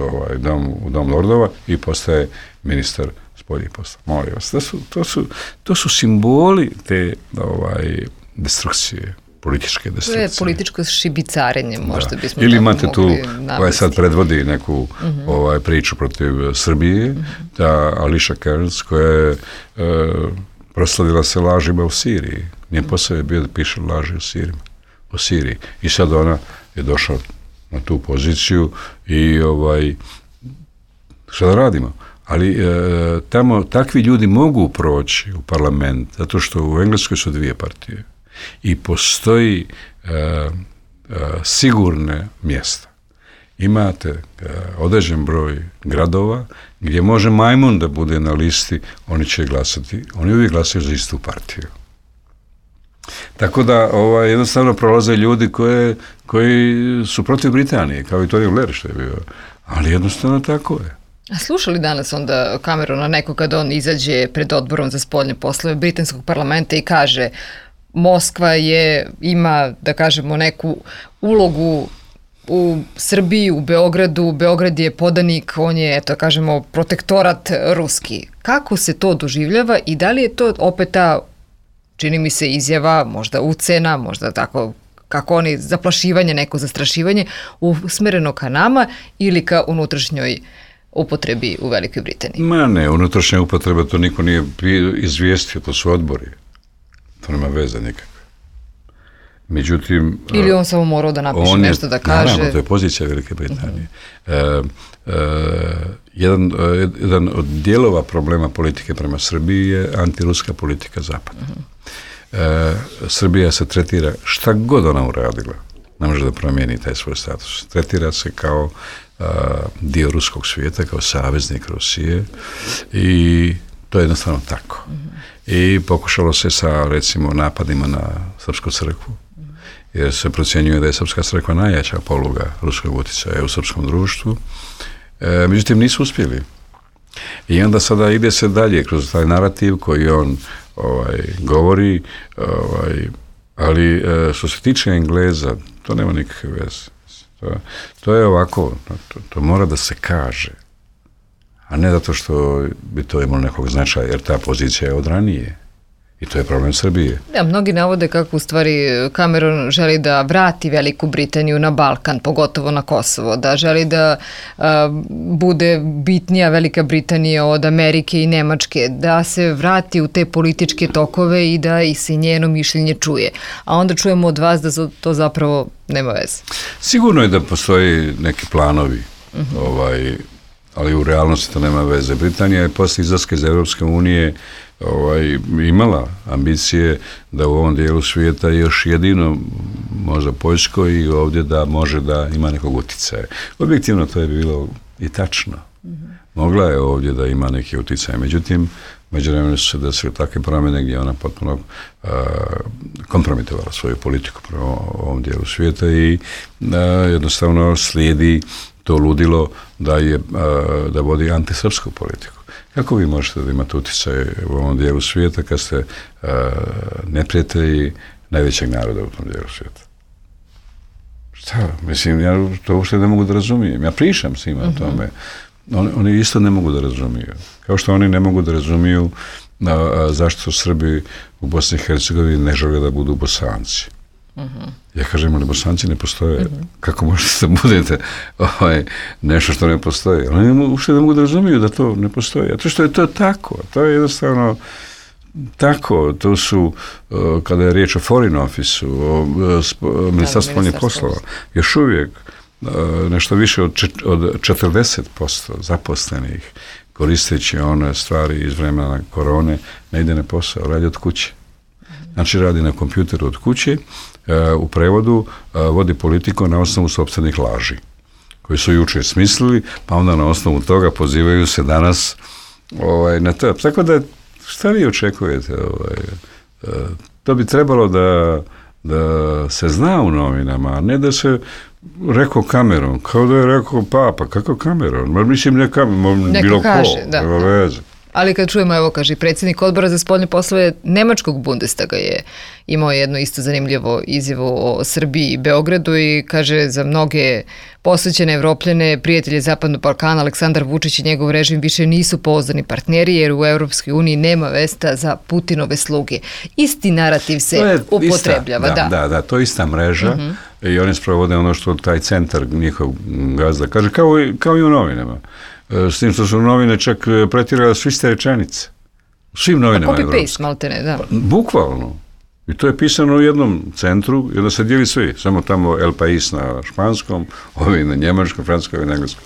ovaj, dom, u dom lordova i postaje ministar spoljnih posla. Molim vas, to su, to su, to su simboli te ovaj, destrukcije, političke destrukcije. To je političko šibicarenje, možda bismo ili tako imate tu, navesti. koja sad predvodi neku uh-huh. ovaj, priču protiv Srbije, uh-huh. ta Alicia Kearns, koja je uh, proslavila se lažima u Siriji. Njen posao je bio da piše laži u Siriji. U Siriji. I sad ona je došla na tu poziciju i ovaj, šta da radimo? Ali e, tamo takvi ljudi mogu proći u parlament, zato što u Engleskoj su dvije partije i postoji e, e, sigurne mjesta. Imate e, određen broj gradova gdje može majmun da bude na listi, oni će glasati, oni uvijek glasaju za istu partiju. Tako da ovaj, jednostavno prolaze ljudi koje, koji su protiv Britanije, kao i Tony Blair što je bio, ali jednostavno tako je. A slušali danas onda Camerona neko kad on izađe pred odborom za spoljne poslove britanskog parlamenta i kaže Moskva je, ima, da kažemo, neku ulogu u Srbiji, u Beogradu, Beograd je podanik, on je, eto, kažemo, protektorat ruski. Kako se to doživljava i da li je to opet ta, čini mi se, izjava, možda ucena, možda tako, kako oni, zaplašivanje, neko zastrašivanje, usmereno ka nama ili ka unutrašnjoj upotrebi u Velikoj Britaniji? Ma ne, unutrašnja upotreba, to niko nije izvijestio, to su odbori. To nema veze nikakve. Međutim... Ili on samo morao da napiše je, nešto da kaže... Naravno, to je pozicija Velike Britanije. Uh-huh. E, e, jedan, jedan od dijelova problema politike prema Srbiji je antiruska politika Zapada. Uh-huh. E, Srbija se tretira, šta god ona uradila, ne može da promijeni taj svoj status. Tretira se kao uh, dio ruskog svijeta, kao saveznik Rusije i to je jednostavno tako. Uh-huh. I pokušalo se sa, recimo, napadima na Srpsku crkvu, jer se procjenjuje da je Srpska crkva najjača poluga ruskog utjecaja u srpskom društvu. E, međutim, nisu uspjeli. I onda sada ide se dalje kroz taj narativ koji on ovaj, govori, ovaj, ali e, što se tiče Engleza, to nema nikakve veze. To, to je ovako, to, to mora da se kaže, a ne zato što bi to imalo nekog značaja, jer ta pozicija je od ranije. I to je problem Srbije. Ja, mnogi navode kako u stvari Cameron želi da vrati Veliku Britaniju na Balkan, pogotovo na Kosovo, da želi da a, bude bitnija Velika Britanija od Amerike i Nemačke, da se vrati u te političke tokove i da i se njeno mišljenje čuje. A onda čujemo od vas da to zapravo nema veze. Sigurno je da postoji neki planovi, uh-huh. ovaj, ali u realnosti to nema veze. Britanija je posle izlaska iz Europske unije ovaj, imala ambicije da u ovom dijelu svijeta još jedino možda Poljsko i ovdje da može da ima nekog utjecaja. Objektivno to je bilo i tačno. Mm-hmm. Mogla je ovdje da ima neki utjecaj, međutim, međuvremeno su se desile takve promjene gdje ona potpuno uh, kompromitovala svoju politiku prema ovom dijelu svijeta i uh, jednostavno slijedi to ludilo da je uh, da vodi antisrpsku politiku. Kako vi možete da imate utjecaj u ovom dijelu svijeta kad ste uh, neprijatelji najvećeg naroda u tom dijelu svijeta? Šta? Mislim, ja to uopšte ne mogu da razumijem. Ja pričam s njima uh-huh. o tome. Oni, oni isto ne mogu da razumiju. Kao što oni ne mogu da razumiju uh, zašto su Srbi u Bosni i Hercegovini ne žele da budu Bosanci. Uh-huh. Ja kažem, ali Bosanci ne postoje. Uh-huh. Kako možete da budete ovaj, nešto što ne postoji? Oni ne, uopšte ne mogu da razumiju da to ne postoji. A to što je to tako. To je jednostavno tako. To su, uh, kada je riječ o Foreign Office-u, o uh, Ministarstvu spoljnih poslova, još uvijek uh, nešto više od, čet, od četrdeset posto zaposlenih koristeći one stvari iz vremena korone ne ide na posao, radi od kuće. Znači radi na kompjuteru od kuće, u prevodu vodi politiku na osnovu sopstvenih laži, koji su jučer smislili, pa onda na osnovu toga pozivaju se danas ovaj, na to. Tako da, šta vi očekujete? Ovaj, to bi trebalo da, da se zna u novinama, a ne da se rekao Cameron, kao da je rekao Papa, kako Cameron? Ma mislim ne Cameron, bilo kaže, ko, da. nema veze. Ali kad čujemo, evo kaže, predsjednik odbora za spoljne poslove Nemačkog Bundestaga je imao jednu isto zanimljivo izjavu o Srbiji i Beogradu i kaže za mnoge posvećene Evropljane, prijatelje Zapadnog Balkana, Aleksandar Vučić i njegov režim više nisu pouzdani partneri jer u Europskoj uniji nema mesta za Putinove sluge. Isti narativ se je upotrebljava. Ista, da, da, da, da, to je ista mreža uh-huh. i oni sprovode ono što taj centar njihov gazda kaže, kao i, kao i u novinama. S tim što su novine čak pretirale su iste rečenice. U svim novinama evropskim. Copy-paste, maltene, da. Bukvalno. I to je pisano u jednom centru i onda se dijeli svi. Samo tamo El País na španskom, ovi na njemačkom, francuskom i na engleskom.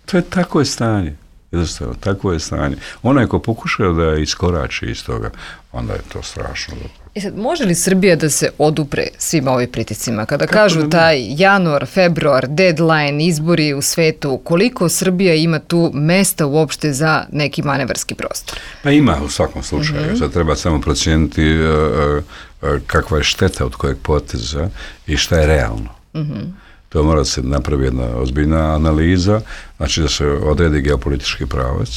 To je tako je stanje. Jednostavno, tako je stanje. Onaj ko pokušao da iskorači iz toga, onda je to strašno. I sad, može li Srbija da se odupre svim ovim pritiscima? Kada Kako kažu taj januar, februar, deadline, izbori u svetu, koliko Srbija ima tu mesta uopšte za neki manevarski prostor? Pa ima u svakom slučaju. Mm-hmm. Sad treba samo procijeniti uh, uh, kakva je šteta od kojeg poteza i šta je realno. Mm-hmm. To mora da se napravi jedna ozbiljna analiza, znači da se odredi geopolitički pravac,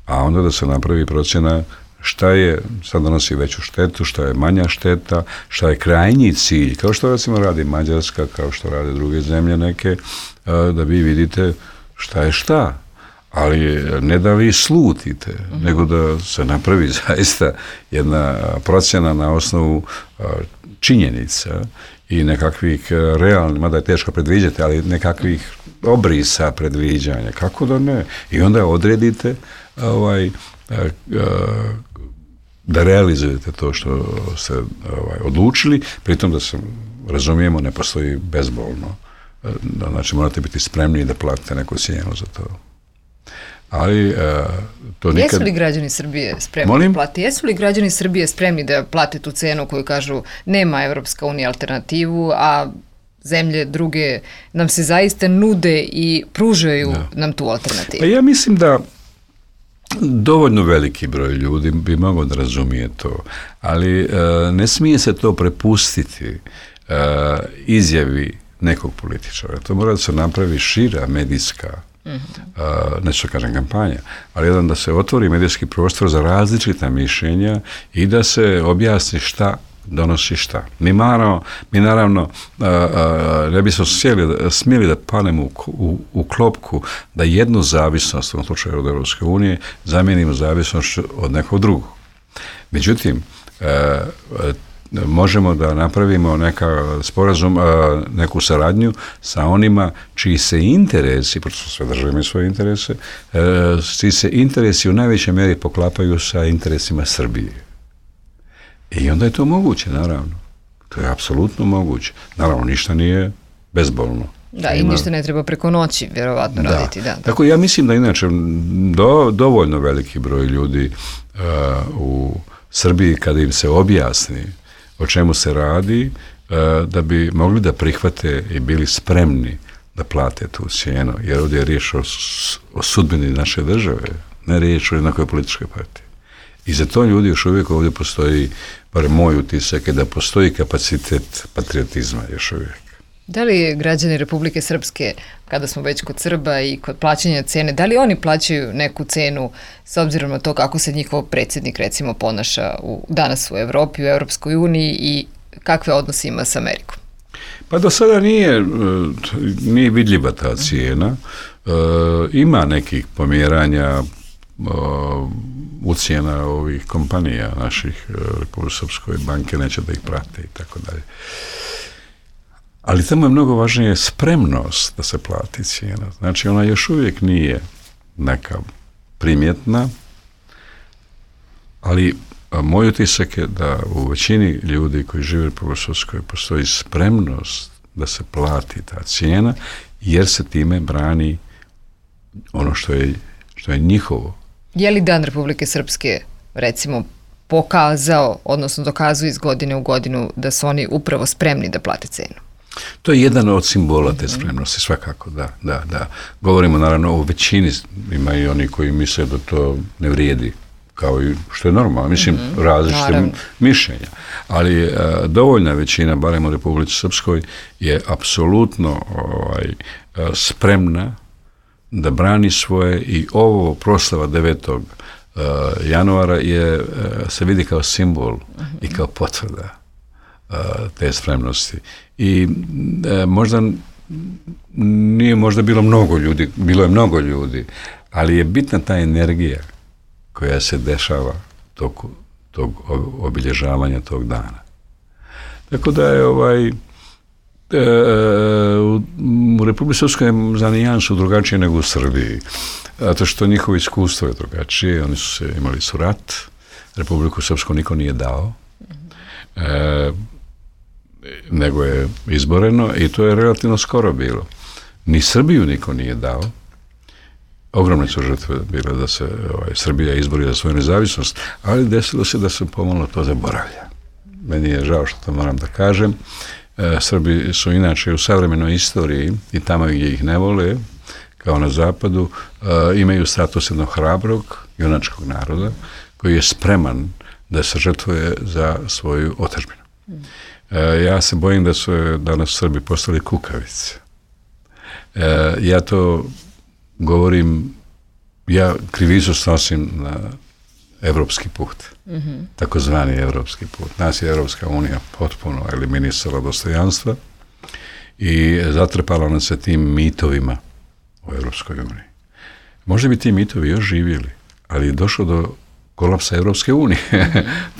a onda da se napravi procjena šta je, sad donosi veću štetu, šta je manja šteta, šta je krajnji cilj, kao što recimo radi Mađarska, kao što rade druge zemlje neke, da vi vidite šta je šta. Ali ne da vi slutite, mm-hmm. nego da se napravi zaista jedna procjena na osnovu činjenica i nekakvih realnih, mada je teško predviđati, ali nekakvih obrisa predviđanja. Kako da ne? I onda odredite ovaj, da realizujete to što ste ovaj, odlučili, pritom da se razumijemo, ne postoji bezbolno. Znači morate biti spremni da platite neku cijenu za to. Ali uh, to nikad... Jesu li građani Srbije spremni Molim? da plate? Jesu li građani Srbije spremni da plate tu cenu koju kažu nema Evropska unija alternativu, a zemlje druge nam se zaista nude i pružaju da. nam tu alternativu? Pa ja mislim da dovoljno veliki broj ljudi bi mogao da razumije to, ali uh, ne smije se to prepustiti uh, izjavi nekog političara. To mora da se napravi šira medijska Mm-hmm. Uh, neću kažem kampanja, ali jedan da se otvori medijski prostor za različita mišljenja i da se objasni šta donosi šta. Mi, marano, mi naravno uh, uh, ne bismo smjeli, smjeli da padnemo u, u, u klopku da jednu zavisnost, u ovom slučaju od Europske unije, zamijenimo zavisnost od nekog drugog. Međutim, uh, uh, možemo da napravimo neka sporazum, neku saradnju sa onima čiji se interesi, pošto sve države imaju svoje interese, čiji se interesi u najvećoj mjeri poklapaju sa interesima Srbije. I onda je to moguće, naravno. To je apsolutno moguće. Naravno, ništa nije bezbolno. Da, i ništa ne treba preko noći, vjerovatno, da. raditi. Da. Tako ja mislim da inače do, dovoljno veliki broj ljudi uh, u Srbiji, kada im se objasni o čemu se radi, da bi mogli da prihvate i bili spremni da plate tu cijenu, jer ovdje je riječ o, o sudbini naše države, ne riječ o jednakoj političkoj partiji. I za to ljudi još uvijek ovdje postoji, bar moj utisak je da postoji kapacitet patriotizma još uvijek. Da li građani Republike Srpske, kada smo već kod Srba i kod plaćanja cene, da li oni plaćaju neku cenu s obzirom na to kako se njihov predsjednik recimo ponaša u, danas u Evropi, u Europskoj uniji i kakve odnose ima s Amerikom? Pa do sada nije, nije vidljiva ta cijena. E, ima nekih pomjeranja o, ucijena ovih kompanija naših, Republike Srpskoj banke neće da ih prate i tako dalje. Ali tamo je mnogo važnije spremnost da se plati cijena. Znači, ona još uvijek nije neka primjetna, ali moj utisak je da u većini ljudi koji žive u Republici Srpskoj postoji spremnost da se plati ta cijena, jer se time brani ono što je, što je njihovo. Je li Dan Republike Srpske, recimo, pokazao, odnosno dokazuje iz godine u godinu da su oni upravo spremni da plate cenu? To je jedan od simbola te spremnosti, svakako, da, da, da. Govorimo naravno o većini, ima i oni koji misle da to ne vrijedi kao i što je normalno, mislim, mm-hmm. različite Naravno. mišljenja. Ali a, dovoljna većina, barem u Republici Srpskoj, je apsolutno ovaj, a, spremna da brani svoje i ovo proslava devetog januara je, se vidi kao simbol mm-hmm. i kao potvrda a, te spremnosti. I a, možda nije možda bilo mnogo ljudi, bilo je mnogo ljudi, ali je bitna ta energija koja se dešava tog, tog obilježavanja tog dana. Tako da je ovaj e, u, u Republici Srpskoj za nijansu drugačije nego u Srbiji. Zato što njihovo iskustvo je drugačije. Oni su se, imali su rat. Republiku Srpsku niko nije dao. E, nego je izboreno i to je relativno skoro bilo. Ni Srbiju niko nije dao. Ogromne su žrtve bile da se ovaj, Srbija izbori za svoju nezavisnost, ali desilo se da se pomalo to zaboravlja. Meni je žao što to moram da kažem. E, Srbi su inače u savremenoj istoriji i tamo gdje ih ne vole, kao na zapadu, e, imaju status jednog hrabrog, junačkog naroda, koji je spreman da se žrtvuje za svoju otadžbinu. E, ja se bojim da su danas Srbi postali kukavice. E, ja to govorim, ja krivicu snosim na evropski put, mm-hmm. takozvani evropski put. Nas je Evropska unija potpuno eliminisala dostojanstva i zatrpala nas se tim mitovima u Evropskoj uniji. Možda bi ti mitovi još živjeli, ali je došlo do kolapsa Evropske unije.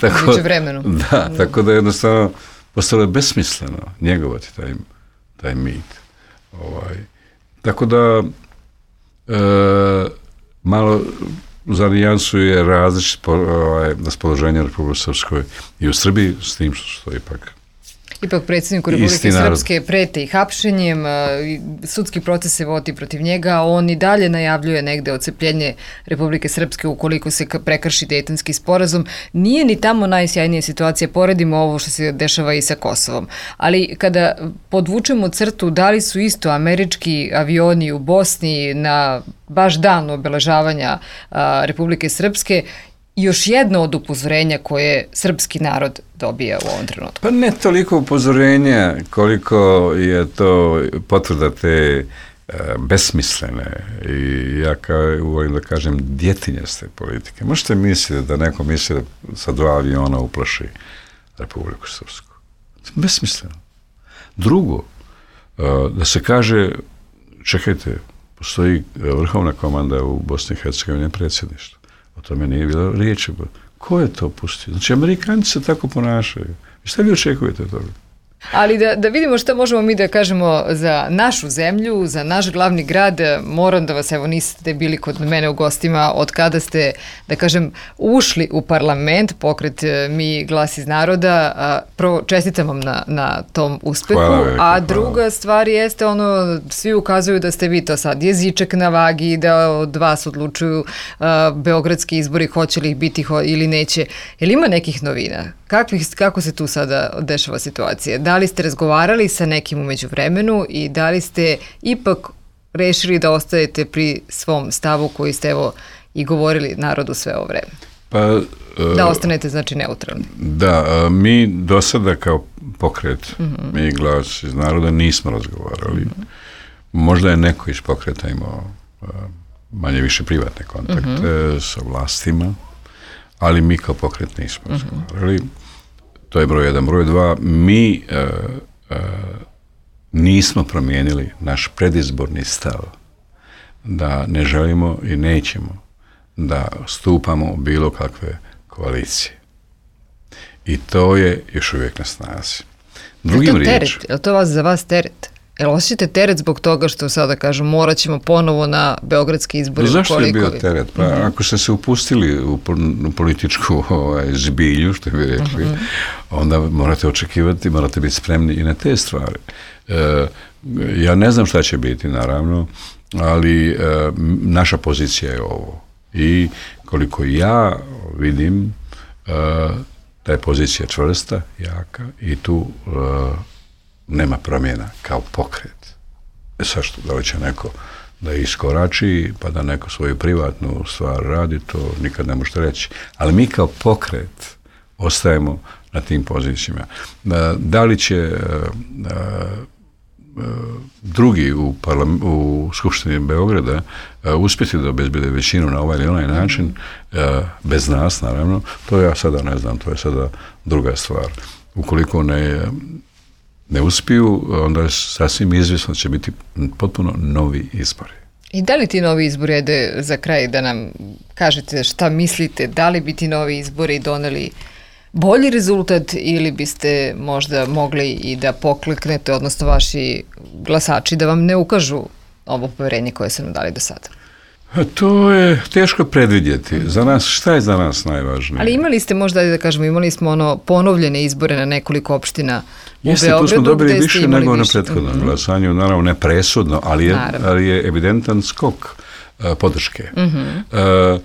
tako, vremenu. Da, mm. tako da je jednostavno postalo je besmisleno njegovati taj, taj mit. Ovaj. Tako da E, malo za nijansu je različit ovaj, raspoloženje u Republike Srpskoj i u Srbiji, s tim što je ipak Ipak predsjedniku Republike Srpske prete i hapšenjem, sudski proces se vodi protiv njega, a on i dalje najavljuje negde odcepljenje Republike Srpske ukoliko se prekrši Dejtonski sporazum. Nije ni tamo najsjajnija situacija, poredimo ovo što se dešava i sa Kosovom. Ali kada podvučemo crtu, da li su isto američki avioni u Bosni na baš dan obeležavanja a, Republike Srpske još jedno od upozorenja koje srpski narod dobija u ovom trenutku? Pa ne toliko upozorenja koliko je to potvrda te uh, besmislene i ja kao volim da kažem djetinjaste politike. Možete misliti da neko misli da sa dva aviona uplaši Republiku Srpsku. Besmisleno. Drugo, uh, da se kaže, čekajte, postoji vrhovna komanda u Bosni i Hercegovini, predsjedništvo. O tome nije bilo riječi. Ko je to pustio? Znači, Amerikanci se tako ponašaju. I šta vi očekujete od toga? Ali da, da vidimo šta možemo mi da kažemo za našu zemlju, za naš glavni grad, moram da vas, evo niste bili kod mene u gostima, od kada ste, da kažem, ušli u parlament, pokret Mi glas iz naroda, a, prvo čestitam vam na, na tom uspehu, hvala, a druga hvala. Stvar jeste ono, svi ukazuju da ste vi to sad jezičak na vagi, da od vas odlučuju a, beogradski izbori, hoće li ih biti ho, ili neće. Je li ima nekih novina? Kakvih, kako se tu sada dešava situacija? Da li ste razgovarali sa nekim u međuvremenu i da li ste ipak rešili da ostajete pri svom stavu koji ste evo i govorili narodu sve ovo vreme? Pa, da ostanete znači neutralni. Da, mi do sada kao pokret, mm-hmm. Mi glas iz naroda nismo razgovarali. Mm-hmm. Možda je neko iz pokreta imao manje više privatne kontakte mm-hmm. sa vlastima, ali mi kao pokret nismo mm-hmm. razgovarali. To je broj jedan. Broj dva, mi uh, uh, nismo promijenili naš predizborni stav da ne želimo i nećemo da stupamo u bilo kakve koalicije. I to je još uvijek na snazi. Drugim je to teret? Je li to vas, za vas teret? Jel osjećate teret zbog toga što sada kažu morat ćemo ponovo na beogradski izbori? Zašto je bio teret? Pa mm-hmm. ako ste se upustili u, u političku ovaj, zbilju, što bi rekli, mm-hmm. onda morate očekivati, morate biti spremni i na te stvari. E, ja ne znam šta će biti, naravno, ali e, naša pozicija je ovo. I koliko ja vidim, e, ta je pozicija čvrsta, jaka i tu e, nema promjena kao pokret. E sad što, da li će neko da iskorači, pa da neko svoju privatnu stvar radi, to nikad ne možete reći. Ali mi kao pokret ostajemo na tim pozicijama. Da li će drugi u, parlam, u Skupštini Beograda uspjeti da obezbede većinu na ovaj ili onaj način, bez nas naravno, to ja sada ne znam, to je sada druga stvar. Ukoliko ne, ne uspiju, onda je sasvim izvjesno će biti potpuno novi izbori. I da li ti novi izbori, ajde za kraj da nam kažete šta mislite, da li bi ti novi izbori doneli bolji rezultat ili biste možda mogli i da pokleknete, odnosno vaši glasači da vam ne ukažu ovo poverenje koje su nam dali do sada? To je teško predvidjeti. Za nas, šta je za nas najvažnije? Ali imali ste možda, da kažemo, imali smo ono ponovljene izbore na nekoliko opština u Jeste, Beogradu. Jeste, tu smo dobili više nego više. na prethodnom mm-hmm. glasanju, naravno ne presudno, ali je, ali je evidentan skok uh, podrške. Mm-hmm. Uh,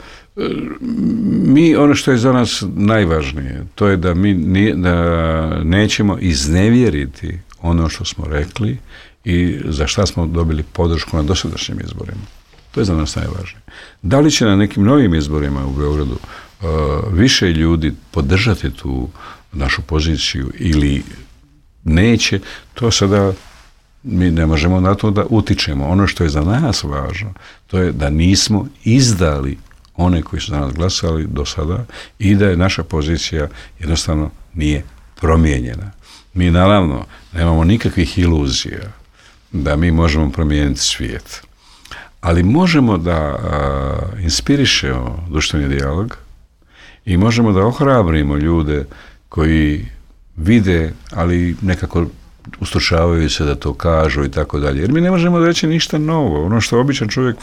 mi, ono što je za nas najvažnije, to je da mi nije, da nećemo iznevjeriti ono što smo rekli i za šta smo dobili podršku na dosadašnjim izborima. To je za nas najvažnije. Da li će na nekim novim izborima u Beogradu uh, više ljudi podržati tu našu poziciju ili neće, to sada mi ne možemo na to da utičemo. Ono što je za nas važno, to je da nismo izdali one koji su za nas glasali do sada i da je naša pozicija jednostavno nije promijenjena. Mi naravno nemamo nikakvih iluzija da mi možemo promijeniti svijet, ali možemo da a, inspirišemo društveni dijalog i možemo da ohrabrimo ljude koji vide, ali nekako ustručavaju se da to kažu i tako dalje. Jer mi ne možemo reći ništa novo. Ono što običan čovjek,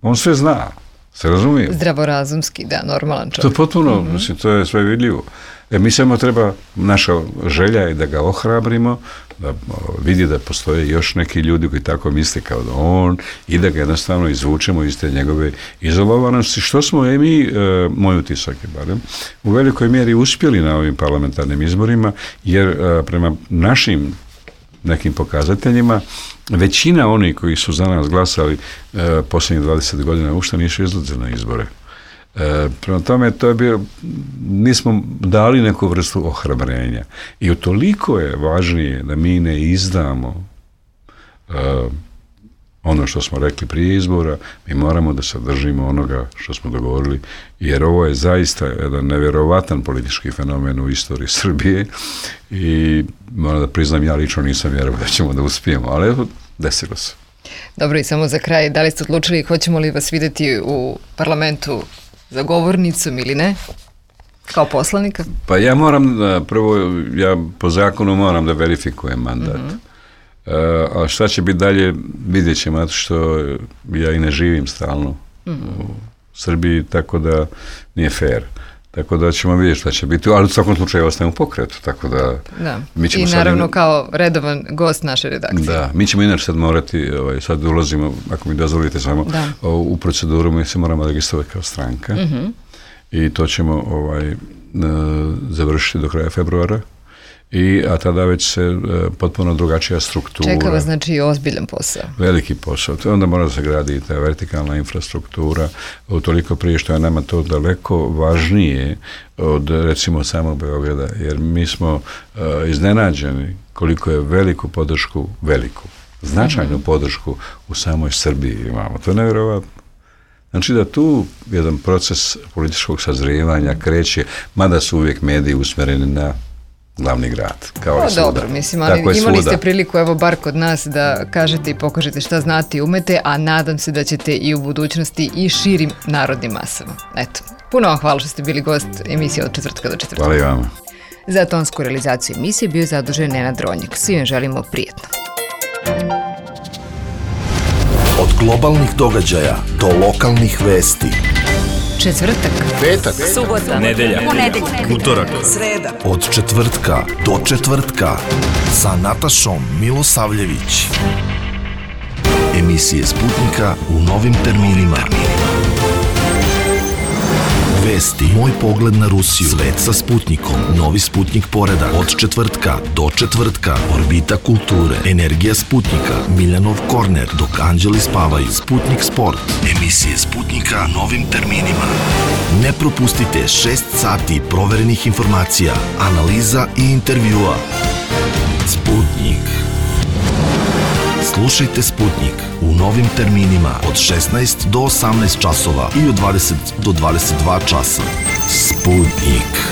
on sve zna. Se razumije? Zdravorazumski, da, normalan čovjek. To je potpuno, mm-hmm. mislim, to je sve vidljivo. E, mi samo treba, naša želja je da ga ohrabrimo, da vidi da postoje još neki ljudi koji tako misle kao da on i da ga jednostavno izvučemo iz te njegove izolovanosti, što smo i mi, e, moj utisak je barem, u velikoj mjeri uspjeli na ovim parlamentarnim izborima, jer e, prema našim nekim pokazateljima, većina onih koji su za nas glasali e, posljednjih dvadeset godina uopšte nisu izlazili na izbore. E, prema tome, to je bio, nismo dali neku vrstu ohrabrenja. I utoliko je važnije da mi ne izdamo e, ono što smo rekli prije izbora, mi moramo da se držimo onoga što smo dogovorili, jer ovo je zaista jedan nevjerovatan politički fenomen u istoriji Srbije i moram da priznam, ja lično nisam vjerovao da ćemo da uspijemo, ali evo, desilo se. Dobro, i samo za kraj, da li ste odlučili, hoćemo li vas vidjeti u parlamentu za govornicom ili ne? Kao poslanika? Pa ja moram da, prvo, ja po zakonu moram da verifikujem mandat. Mm-hmm. Uh, a šta će biti dalje, vidjet ćemo, zato što ja i ne živim stalno mm-hmm. u Srbiji, tako da nije fair. Tako da ćemo vidjeti šta će biti, ali u svakom slučaju ostajem u pokretu, tako da... Da. Mi ćemo I naravno sad, kao redovan gost naše redakcije. Da, mi ćemo inače sad morati, ovaj, sad ulazimo, ako mi dozvolite samo, u proceduru, mi se moramo registrovati kao stranka mm-hmm. i to ćemo ovaj, završiti do kraja februara. I, a tada već se e, potpuno drugačija struktura. Čeka vas znači ozbiljan posao. Veliki posao. To onda mora da se gradi i ta vertikalna infrastruktura, utoliko prije što je nama to daleko važnije od recimo samog Beograda, jer mi smo e, iznenađeni koliko je veliku podršku, veliku, značajnu mm-hmm. podršku u samoj Srbiji imamo. To je nevjerovatno. Znači da tu jedan proces političkog sazrijevanja kreće, mada su uvijek mediji usmjereni na glavni grad, kao o, i svuda. Dobro, mislim, ali imali svuda. Ste priliku, evo, bar kod nas, da kažete i pokažete šta znate i umete, a nadam se da ćete i u budućnosti i širim narodnim masama. Eto, puno vam hvala što ste bili gost emisije od četvrtka do četvrtka. Hvala i vama. Za tonsku realizaciju emisije bio zadužen Nenad Ronjak. Svim želimo prijetno. Od globalnih događaja do lokalnih vesti. Četvrtak, petak, subota, nedelja, ponedeljak, utorak, sreda. Od četvrtka do četvrtka sa Natašom Milosavljević. Emisije Sputnika u novim terminima. Vesti, moj pogled na Rusiju, svet sa Sputnikom, novi Sputnik poredak, od četvrtka do četvrtka, orbita kulture, energija Sputnika, Miljanov korner, dok anđeli spavaju, Sputnik sport, emisije Sputnika novim terminima. Ne propustite šest sati proverenih informacija, analiza i intervjua. Sputnik. Slušajte Sputnik u novim terminima od šesnaest do osamnaest časova i od dvadeset do dvadeset dva časa. Sputnik.